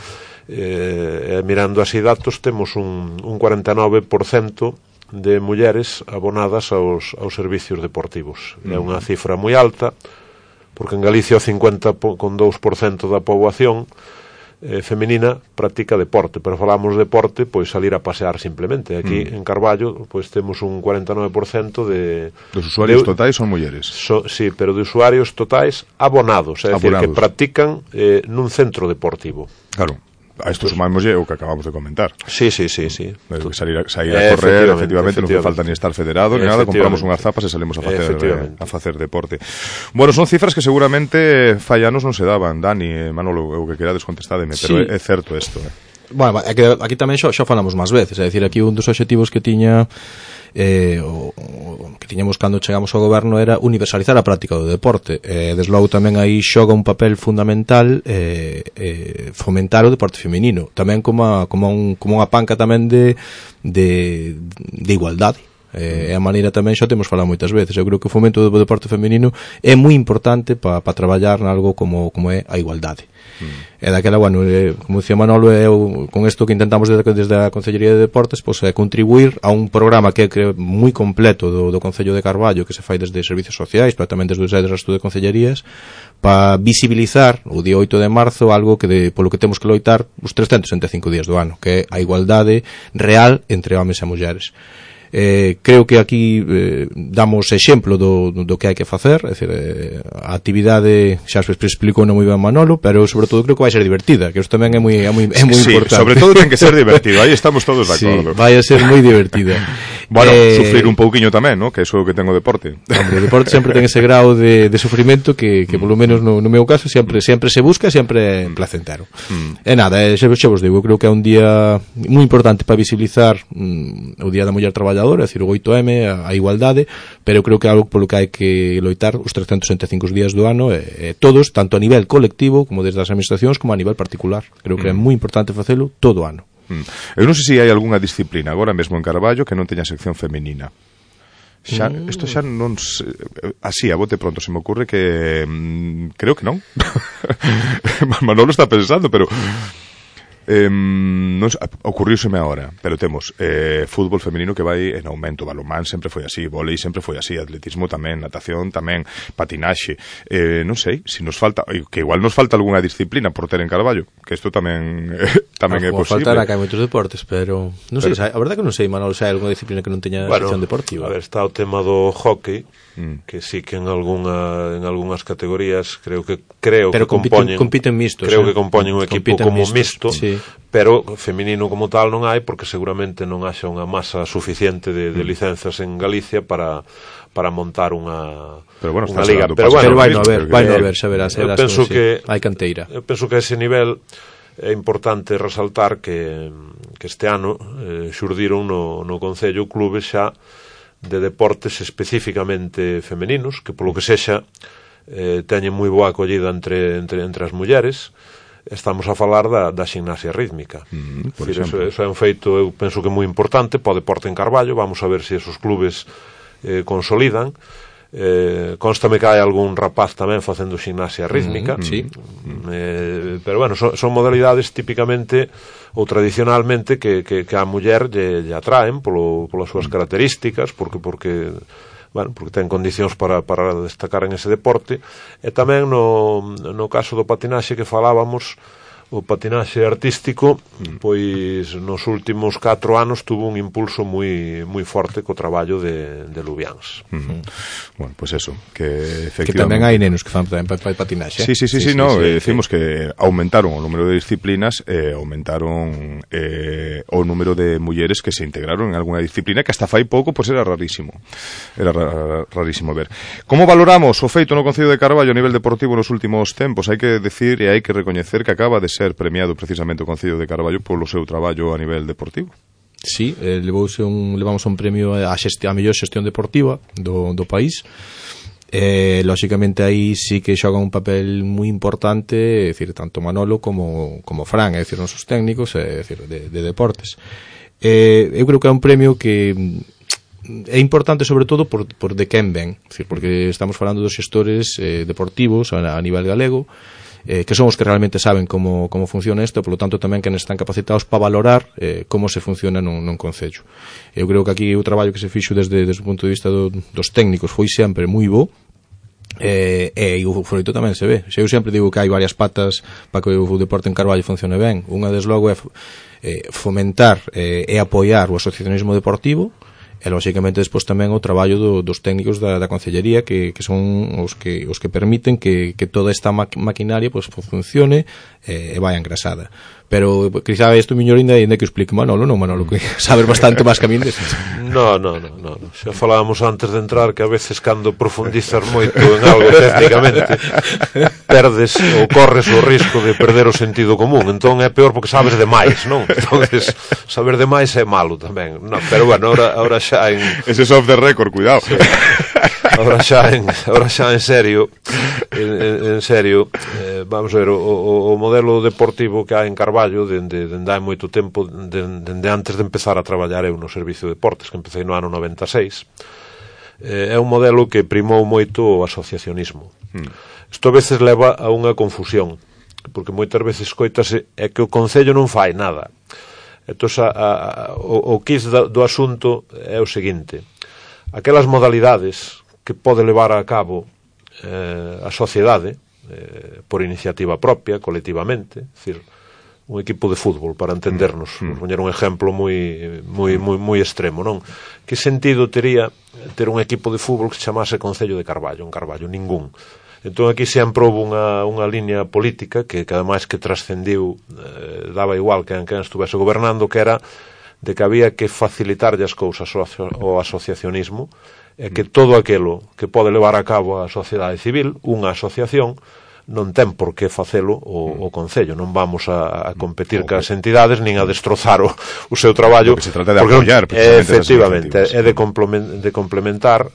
Mirando así datos, temos un 49% de mulleres abonadas aos servicios deportivos. É unha cifra moi alta, porque en Galicia o 50,2% da poboación femenina practica deporte, pero falamos de deporte, pois salir a pasear simplemente. Aquí en Carballo pois temos un 49%
dos usuarios totais son mulleres.
Sí, pero de usuarios totais abonados, é dicir, que practican nun centro deportivo.
Claro. A isto sumámoslle o que acabamos de comentar.
Sí.
Sair a correr, efectivamente, non que falta ni estar federado, ni nada, compramos unhas zapas e salimos a facer deporte. Bueno, son cifras que seguramente fai anos non se daban, Dani, Manolo, o que querades contestádeme, pero é certo isto.
Bueno, aquí tamén xa falamos máis veces, é dicir, aquí un dos obxectivos que tiña que tiñamos cando chegamos ao goberno era universalizar a práctica do deporte. Desde logo tamén aí xoga un papel fundamental fomentar o deporte feminino, tamén como unha panca tamén de igualdade. É a maneira tamén, xa temos falado moitas veces, eu creo que o fomento do deporte feminino é moi importante para traballar nalgo como é a igualdade. E daquela, bueno, como dicía Manolo, con isto que intentamos desde a Concellería de Deportes, pois é contribuir a un programa que é moi completo do Concello de Carballo, que se fai desde servicios sociais, pero tamén desde o resto de concellerías, para visibilizar o día 8 de marzo algo que polo que temos que loitar os 365 días do ano, que é a igualdade real entre homes e mulleres. Creo que aquí damos exemplo do que hai que facer, é dicir, a actividade xa se explicou non moi ben Manolo, pero sobre todo creo que vai ser divertida, que isto tamén é moi importante.
Sobre todo ten que ser divertido, aí estamos todos de acordo.
Vai a ser moi divertida.
Bueno, sufrir un pouquiño tamén, ¿no? Que iso é o que ten o deporte.
Hombre, o deporte sempre ten ese grau de sufrimento que polo menos no meu caso sempre se busca, sempre é placentero. E nada, xa vos digo, creo que é un día moi importante para visibilizar o Día da Muller Traballadora, é dicir, o 8M, a igualdade, pero creo que é algo polo que hai que loitar os 365 días do ano, todos, tanto a nivel colectivo como desde as administracións como a nivel particular. Creo que é moi importante facelo todo o ano.
Eu non sei se hai algunha disciplina agora mesmo en Carballo que non teña sección femenina. Isto xa non así, a bote pronto se me ocurre que creo que non. Manolo está pensando, pero non ocurriuseme agora, pero temos fútbol femenino que vai en aumento, balonmán sempre foi así, vólei sempre foi así, atletismo tamén, natación tamén, patinaxe, non sei, se nos falta, que igual nos falta algunha disciplina por ter en Carballo, que isto tamén é posible.
Faltará que hai moitos deportes, pero non sei, a verdade que non sei, Manolo, se hai algunha disciplina que non teña sección deportiva.
A ver, está o tema do hockey, que sí que en algunhas categorías creo que
compiten mixtos,
creo que compoñen un equipo como mixto, sí. Pero feminino como tal non hai, porque seguramente non haxa unha masa suficiente de licenzas en Galicia para montar unha liga.
Pero vai no haber, xa verás,
penso que
hai canteira.
Eu penso que a ese nivel é importante resaltar que este ano xurdiron no Concello clubes xa de deportes especificamente femeninos, que polo que sexa teñen moi boa acollida entre as mulleres. Estamos a falar da ximnasia rítmica. Eso é un feito, eu penso que moi importante para o deporte en Carballo. Vamos a ver se esos clubes consolidan. Constame que hai algún rapaz tamén facendo ximnasia rítmica, pero bueno, son modalidades típicamente ou tradicionalmente que a muller lle atraen polas súas características, porque ten condicións para destacar en ese deporte. E tamén no caso do patinaxe que falábamos, o patinaxe artístico, pois nos últimos 4 anos tuvo un impulso moi forte co traballo de Lubiáns.
Bueno, pois eso, que efectivamente...
Que tamén hai nenos que fan patinaxe.
Sí, decimos que aumentaron o número de disciplinas e aumentaron o número de mulleres que se integraron en alguna disciplina que hasta fai pouco pois era rarísimo. Era rarísimo ver. Como valoramos o feito no Concello de Carballo a nivel deportivo nos últimos tempos? Hai que decir e hai que recoñecer que acaba de ser premiado precisamente o Concello de Carballo polo seu traballo a nivel deportivo.
Sí, levamos un premio a mellor xestión deportiva do país. Lóxicamente aí sí que xoga un papel moi importante, é dicir, tanto Manolo como Fran, é dicir, nosos técnicos, é dicir, de deportes. Eu creo que é un premio que é importante sobre todo por de quen ven, é dicir, porque estamos falando dos xestores deportivos a nivel galego, que son os que realmente saben como funciona isto, polo tanto tamén que están capacitados para valorar como se funciona nun concello. Eu creo que aquí o traballo que se fixo desde o punto de vista dos técnicos foi sempre moi bo, E o froito tamén se ve. Eu sempre digo que hai varias patas para que o deporte en Carballo funcione ben. Unha, desde logo, é fomentar e apoiar o asociacionismo deportivo, e lógicamente despois tamén o traballo dos técnicos da Concellería, que son os que permiten que toda esta maquinaria pues funcione e vai engrasada. Pero quizá isto miñor ainda que explique Manolo, que sabes bastante máis que a min desto.
No. Xa falábamos antes de entrar que a veces cando profundizas moito en algo técnicamente perdes ou corres o risco de perder o sentido común. Entón é peor porque sabes demais, non? Entonces saber demais é malo tamén. No, pero bueno, ahora xa en...
Ese es off the record, cuidado. Sí.
Ahora xa en serio, vamos a ver, o modelo deportivo que hai en Carballo dende hai moito tempo, dende antes de empezar a traballar eu no Servicio de Deportes, que empecé no ano 96, é un modelo que primou moito o asociacionismo. Isto a veces leva a unha confusión, porque moitas veces coitase é que o Concello non fai nada. Entón, o quiz do asunto é o seguinte: aquelas modalidades que pode levar a cabo a sociedade por iniciativa propia, colectivamente, é dicir, un equipo de fútbol, para entendernos, poñer un exemplo moi extremo, non? Que sentido tería ter un equipo de fútbol que se chamase Concello de Carballo? En Carballo, ningún. Entón aquí sempre houve unha liña política que ademais que trascendiu, daba igual que estuvese gobernando, que era de que había que facilitarlle as cousas ao asociacionismo, e que todo aquilo que pode levar a cabo a sociedade civil, unha asociación, non ten por que facelo o Concello. Non vamos a competir cas entidades nin a destrozar o seu traballo.
Porque se trata de apoiar,
efectivamente, é de complementar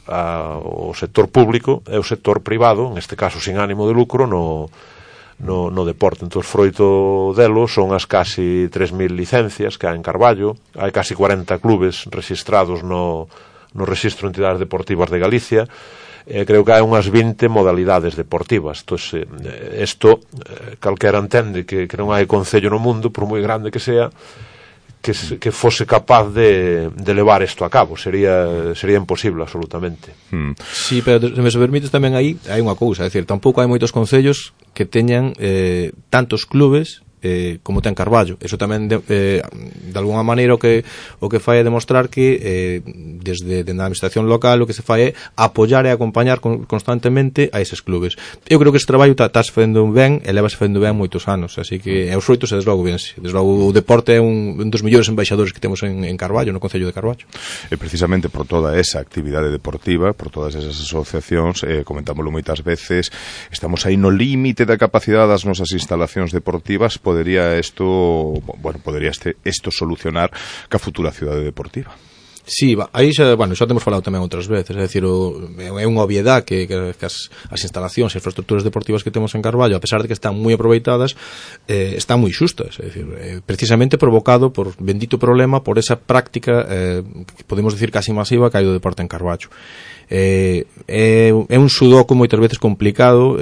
o sector público e o sector privado, en este caso sin ánimo de lucro, no deporte. Entón, froito delo son as casi 3.000 licencias que hai en Carballo, hai casi 40 clubes registrados no Rexistro de Entidades Deportivas de Galicia, creo que hai unhas 20 modalidades deportivas. Isto calquera entende que non hai concello no mundo, por moi grande que sea, que fose capaz de levar isto a cabo. Sería imposible, absolutamente.
Sí, pero se me permites tamén aí hai unha cousa, é dicir, tampouco hai moitos concellos que teñan tantos clubes como ten Carballo. Eso tamén de alguna maneira o que fai é demostrar que desde a administración local o que se fai é apoiar e acompañar constantemente a eses clubes. Eu creo que ese traballo estás facendo ben e levas facendo ben moitos anos, así que os froitos desde logo vense. Desde logo o deporte é un dos mellores embaixadores que temos en Carballo, no Concello de Carballo.
E precisamente por toda esa actividade deportiva, por todas esas asociacións, comentámoslo moitas veces, estamos aí no límite da capacidade das nosas instalacións deportivas. Podería isto solucionar ca futura cidade deportiva?
Sí, aí xa temos falado tamén outras veces, é dicir, é unha obviedade que as instalacións e infraestructuras deportivas que temos en Carballo, a pesar de que están moi aproveitadas, están moi xustas, é dicir, precisamente provocado por bendito problema, por esa práctica que podemos dicir casi masiva que hai do deporte en Carballo. É un sudoku moitas veces complicado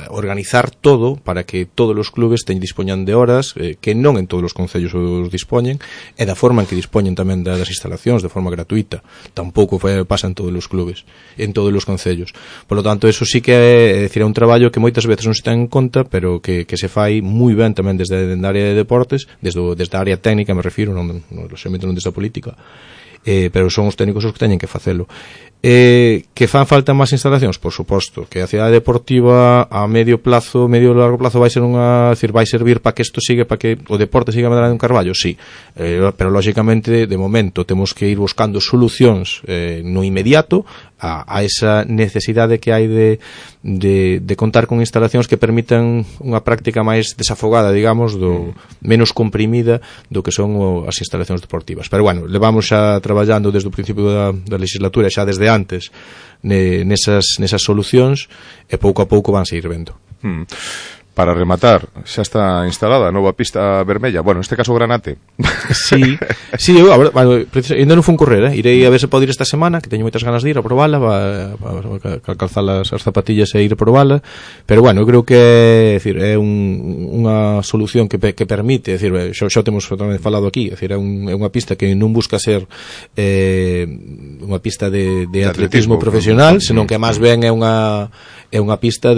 organizar todo para que todos os clubes dispoñan de horas que non en todos os concellos os dispoñen, e da forma en que dispoñen tamén das instalacións de forma gratuita. Tampouco pasa en todos os clubes, en todos os concellos. Por lo tanto, eso sí que é un traballo que moitas veces non se ten en conta, pero que se fai moi ben tamén desde a área de deportes, desde a área técnica, me refiro, non desde a política. Pero son os técnicos os que teñen que facelo. Que fan falta máis instalacións? Por suposto, que a cidade deportiva a medio largo plazo vai servir para que isto siga, para que o deporte siga medrando en Carballo, sí, pero lógicamente de momento temos que ir buscando solucións no inmediato a esa necesidade que hai de contar con instalacións que permitan unha práctica máis desafogada, digamos, menos comprimida do que son as instalacións deportivas. Pero bueno, levamos xa traballando desde o principio da legislatura, xa desde antes, nesas solucións, e pouco a pouco vanse ir vendo.
Para rematar, xa está instalada a nova pista vermella. Bueno, neste caso Granate.
Sí, eu, ainda non fun correr, irei a ver se pode ir esta semana, que teño moitas ganas de ir a probala, para calzar as zapatillas e ir a probala, pero bueno, eu creo que é unha solución que permite, é dicir, xa temos tamén falado aquí, é dicir, é unha pista que non busca ser unha pista de atletismo profesional, senón que máis ben é unha pista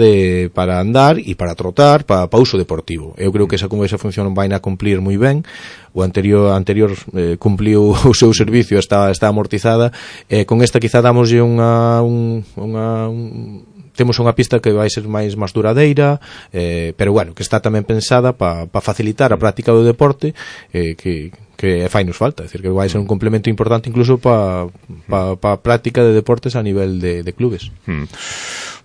para andar e para trotar, para uso deportivo. Eu creo que esa función vai a cumplir moi ben. O anterior cumpliu o seu servicio, está amortizada. Con esta quizá damoslle temos unha pista que vai ser máis duradeira, pero bueno, que está tamén pensada para facilitar a práctica do deporte, que fai nos falta, é dicir, que vai ser un complemento importante incluso para a práctica de deportes a nivel de clubes.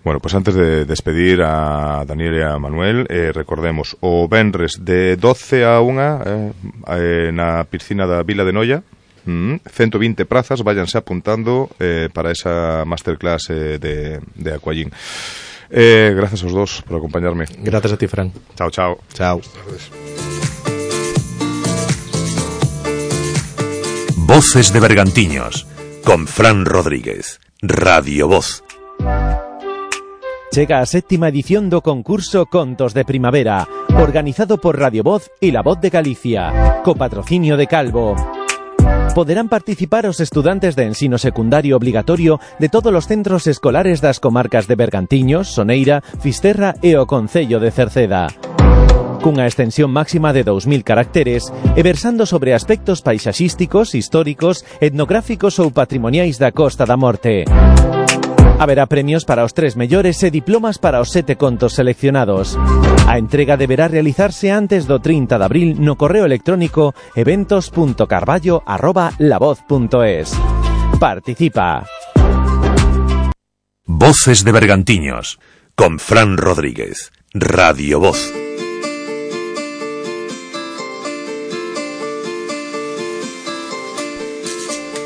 Bueno, pues antes de despedir a Daniel e a Manuel, recordemos o venres de 12 a 1 na piscina da Vila de Noia, 120 prazas, váyanse apuntando para esa masterclass de Aquagym. Gracias aos dos por acompañarme.
Gracias a ti, Fran.
Chao, chao.
Chao.
Voces de Bergantiños, con Fran Rodríguez, Radio Voz.
Chega a 7ª edición do concurso Contos de Primavera, organizado por Radio Voz e La Voz de Galicia, co patrocinio de Calvo. Poderán participar os estudantes de ensino secundario obligatorio de todos os centros escolares das comarcas de Bergantiños, Soneira, Fisterra e o Concello de Cerceda. Cunha extensión máxima de 2000 caracteres e versando sobre aspectos paisaxísticos, históricos, etnográficos ou patrimoniais da Costa da Morte. Haberá premios para os 3 mellores e diplomas para os 7 contos seleccionados. A entrega deberá realizarse antes do 30 de abril no correo electrónico eventos.carballo@lavoz.es. Participa.
Voces de Bergantiños, con Fran Rodríguez, Radio Voz.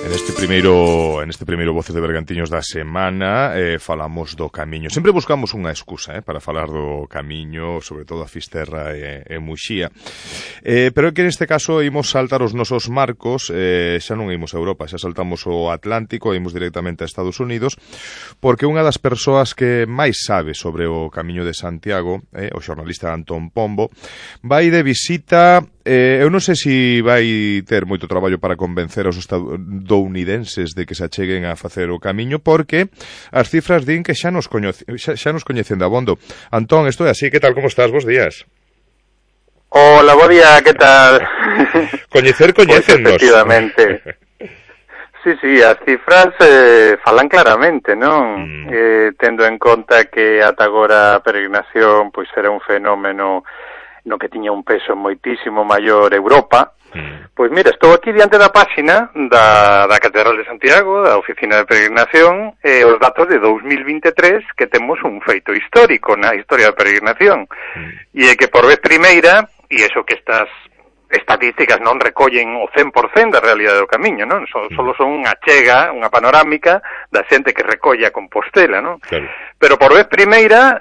En este primeiro Voces de Bergantiños da semana falamos do camiño. Sempre buscamos unha excusa para falar do camiño, sobre todo a Fisterra e Muxía. Pero é que neste caso imos saltar os nosos marcos, xa non imos a Europa, xa saltamos o Atlántico, imos directamente a Estados Unidos, porque unha das persoas que máis sabe sobre o camiño de Santiago, o xornalista Antón Pombo, vai de visita. Eu non sei se vai ter moito traballo para convencer aos estadounidenses de que se acheguen a facer o camiño, porque as cifras din que xa nos coñecen de abondo. Antón, isto é así, que tal, como estás? Bos días.
Hola, bo día, que tal?
Coñecennos.
Pues efectivamente. Sí, as cifras falan claramente, non? Tendo en conta que ata agora a peregrinación pois era un fenómeno no que tiña un peso moitísimo maior Europa. Pois mira, estou aquí diante da páxina da Catedral de Santiago, da Oficina de Peregrinación, e os datos de 2023, que temos un feito histórico na historia da peregrinación. E é que por vez primeira, e iso que estas estatísticas non recollen o 100% da realidade do camiño, non? Solo son unha chega, unha panorámica da xente que recolle a Compostela, non?
Claro.
Pero por vez primeira,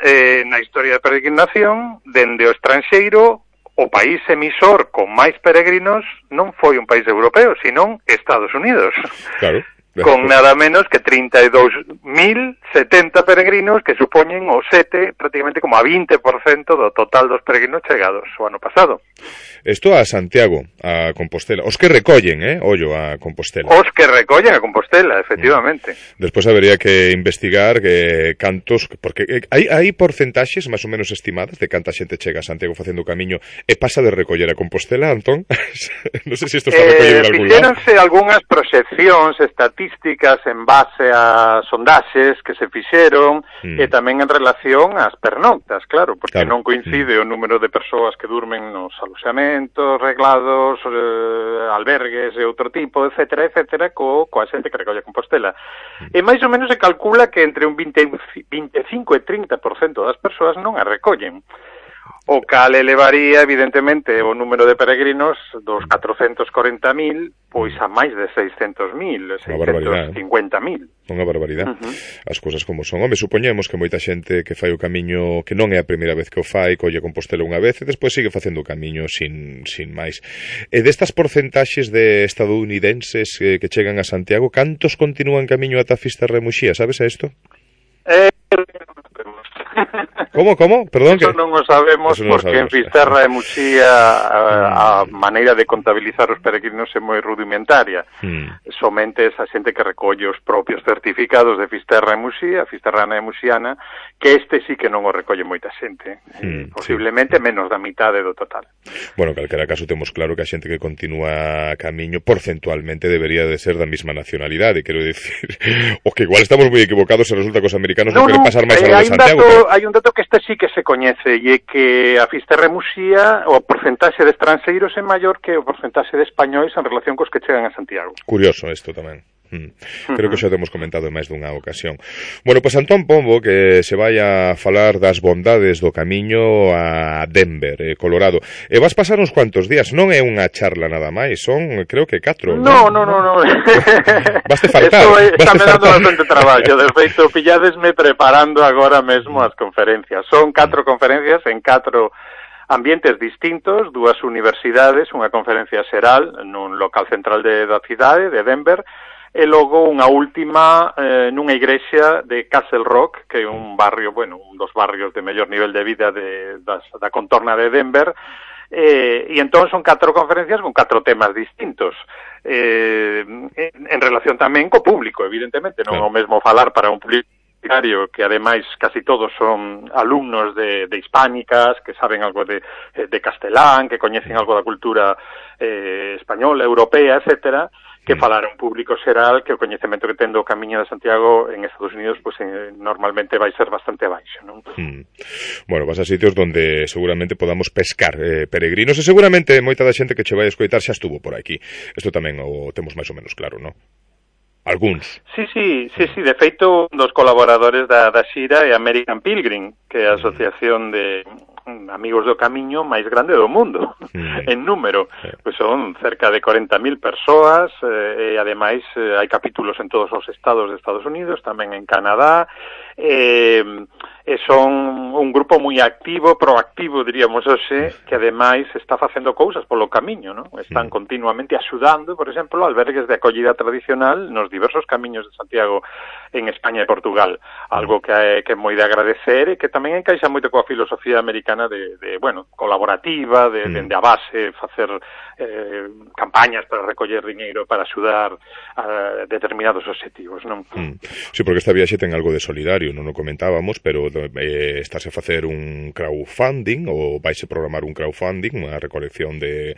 na historia da peregrinación, dende o estranxeiro, o país emisor con máis peregrinos non foi un país europeo, senón Estados Unidos.
Claro.
Con nada menos que 32.070 peregrinos, que supoñen o 7, prácticamente como a 20% do total dos peregrinos chegados o ano pasado.
Isto a Santiago, a Compostela. Os que recollen, ollo, a Compostela.
Os que recollen a Compostela, efectivamente.
Despois habería que investigar que cantos, porque hai porcentaxes máis ou menos estimadas de canta xente chega a Santiago facendo o camiño e pasa de recoller a Compostela, Antón? Non sei se isto está recollido en algún lado.
Fixéronse algunhas proxeccións estatísticas en base a sondaxes que se fixeron e tamén en relación ás pernoctas, claro, porque non coincide o número de persoas que durmen nos aloxamentos, reglados, albergues e outro tipo, etcétera, coa xente que recolle a Compostela. E máis ou menos se calcula que entre un 25 e 30% das persoas non a recollen. O cal elevaría, evidentemente, o número de peregrinos dos 440.000 pois a máis de 600.000, 650.000.
Unha barbaridade. As cousas como son. Home, supoñemos que moita xente que fai o camiño, que non é a primeira vez que o fai, colle Compostela unha vez e despois sigue facendo o camiño sin máis. E destas porcentaxes de estadounidenses que chegan a Santiago, cantos continúan camiño ata Fisterra e Muxía? Sabes a isto? Como? Perdón,
eso non o sabemos porque en Fisterra e Muxía a maneira de contabilizar os peregrinos é moi rudimentaria. Somente esa xente que recolle os propios certificados de Fisterra e Muxía, Fisterrana e Muxiana, que este sí que non o recolle moita xente. Posiblemente menos da mitade do total.
Bueno, en calquera caso temos claro que a xente que continúa camiño porcentualmente debería de ser da mesma nacionalidade, quero dicir, o que igual estamos moi equivocados e resulta que os americanos non queren pasar máis algo de Santiago.
Hai un dato que este sí que se coñece e é que a Fisterra e Muxía o porcentaxe de estranxeiros é maior que o porcentaxe de españois en relación cos que chegan a Santiago.
Curioso isto tamén. Creo que xa temos comentado en máis dunha ocasión. Bueno, pois Antón Pombo que se vai a falar das bondades do camiño a Denver, Colorado. E vas pasar uns cuantos días, non é unha charla nada máis, son creo que 4.
No.
Vaste faltar.
Está me dando bastante traballo, de feito pilladesme preparando agora mesmo as conferencias. Son 4 conferencias en 4 ambientes distintos, 2 universidades, unha conferencia xeral nun local central da cidade de Denver, e logo unha última nunha igrexa de Castle Rock, que é un barrio, un dos barrios de mellor nivel de vida da contorna de Denver, e entón son 4 conferencias con 4 temas distintos, en relación tamén co público, evidentemente, non é o mesmo falar para un público que ademais casi todos son alumnos de hispánicas, que saben algo de castelán, que coñecen algo da cultura española, europea, etcétera, que falar a un público xeral que o coñecemento que ten do Camiño de Santiago en Estados Unidos normalmente vai ser bastante baixo, non?
Bueno, vas a sitios donde seguramente podamos pescar peregrinos e seguramente moita da xente que che vai a escoitar xa estuvo por aquí. Isto tamén o temos máis ou menos claro, non? Alguns.
Sí, de feito, un dos colaboradores da xira é American Pilgrim, que é a asociación de amigos do camiño máis grande do mundo, en número. Pois son cerca de 40.000 persoas, e ademais hai capítulos en todos os estados de Estados Unidos, tamén en Canadá, e son un grupo moi activo, proactivo, diríamos hoxe, que ademais está facendo cousas polo camiño, non? Están continuamente axudando, por exemplo, albergues de acollida tradicional nos diversos camiños de Santiago en España e Portugal, algo que é moi de agradecer e que tamén encaixa moito coa filosofía americana de colaborativa, dende a base facer campañas para recoller diñeiro para axudar a determinados obxectivos, non?
Sí, porque esta viaxe ten algo de solidario, non o comentábamos, pero estáse a facer un crowdfunding ou vaise programar un crowdfunding, unha recolección de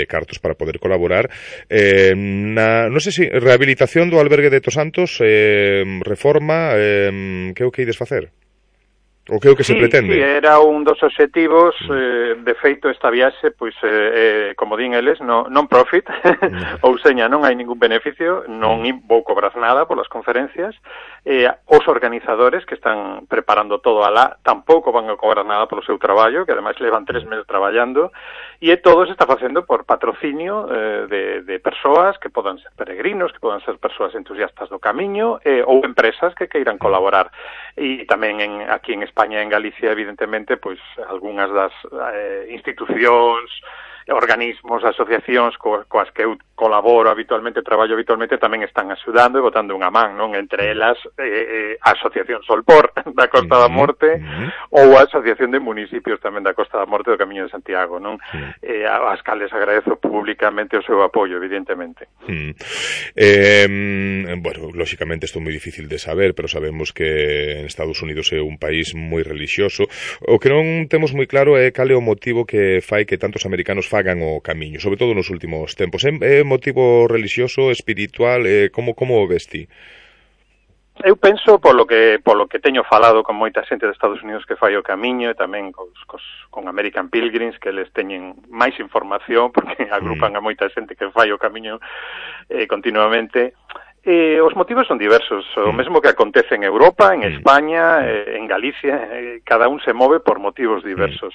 cartos para poder colaborar non sei se rehabilitación do albergue de Tosantos, reforma, que é o que ides facer? O que é o que se pretende?
Sí, era un dos obxectivos, de feito esta viaxe, pois, como din eles, non profit, ou seña, non hai ningún beneficio, non vou cobrar nada polas conferencias, os organizadores que están preparando todo alá tampouco van a cobrar nada polo seu traballo, que ademais levan 3 meses traballando, e todo se está facendo por patrocinio de persoas que podan ser peregrinos, que podan ser persoas entusiastas do camiño, ou empresas que queiran colaborar. E tamén aquí en España e en Galicia, evidentemente, pois algunhas das institucións, organismos, asociacións coas que eu colaboro habitualmente, traballo habitualmente, tamén están axudando e botando unha man, non? Entre elas a Asociación Solpor da Costa da Morte ou a Asociación de Municipios tamén da Costa da Morte do Camiño de Santiago, non? As cales agradezo públicamente o seu apoio, evidentemente.
Bueno, lóxicamente isto é moi difícil de saber, pero sabemos que en Estados Unidos é un país moi relixioso. O que non temos moi claro é cal é o motivo que fai que tantos americanos fagan o camiño, sobre todo nos últimos tempos. É motivo relixioso, espiritual, como o ves ti?
Eu penso polo que teño falado con moita xente de Estados Unidos que fai o camiño e tamén con American Pilgrims, que les teñen máis información porque agrupan a moita xente que fai o camiño continuamente. Os motivos son diversos, o mesmo que acontece en Europa, en España, en Galicia, cada un se move por motivos diversos.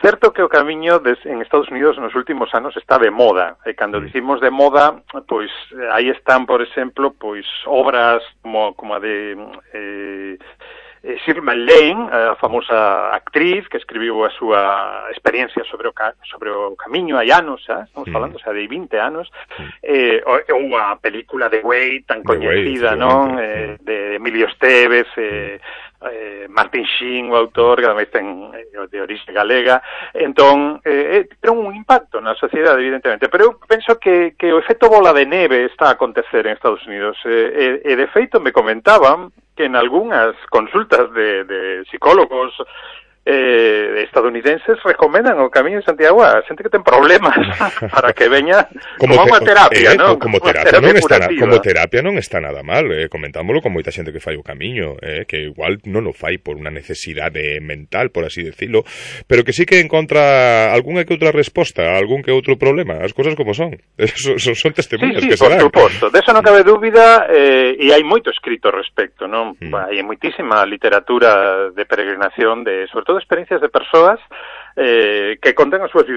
Certo que o camiño en Estados Unidos nos últimos anos está de moda, e cando dicimos de moda, pois aí están, por exemplo, pois obras como a de Shirley Lane, a famosa actriz que escribiu a súa experiencia sobre o camiño hai anos, estamos falando, de 20 anos, ou a película de Way, tan coñecida, non? De Emilio Esteves, Martin Sheen, o autor, que ademais ten de orixe galega. Entón, ten un impacto na sociedade, evidentemente, pero eu penso que o efecto bola de neve está a acontecer en Estados Unidos, e de feito me comentaban que en algunhas consultas de psicólogos estadounidenses recomendan o Camiño de Santiago a xente que ten problemas para que veña como unha terapia, non?
Como terapia non está nada mal, comentámoslo con moita xente que fai o Camiño, que igual non o fai por unha necesidade mental, por así decirlo, pero que sí que encontra algunha que outra resposta a algún que outro problema, as cousas como son. Son testemunhas que se dan.
Por suposto, de eso non cabe dúbida, e hai moito escrito ao respecto, non? Hai moitísima literatura de peregrinación, sobre todo experiencias de persoas que contan as súas vivencias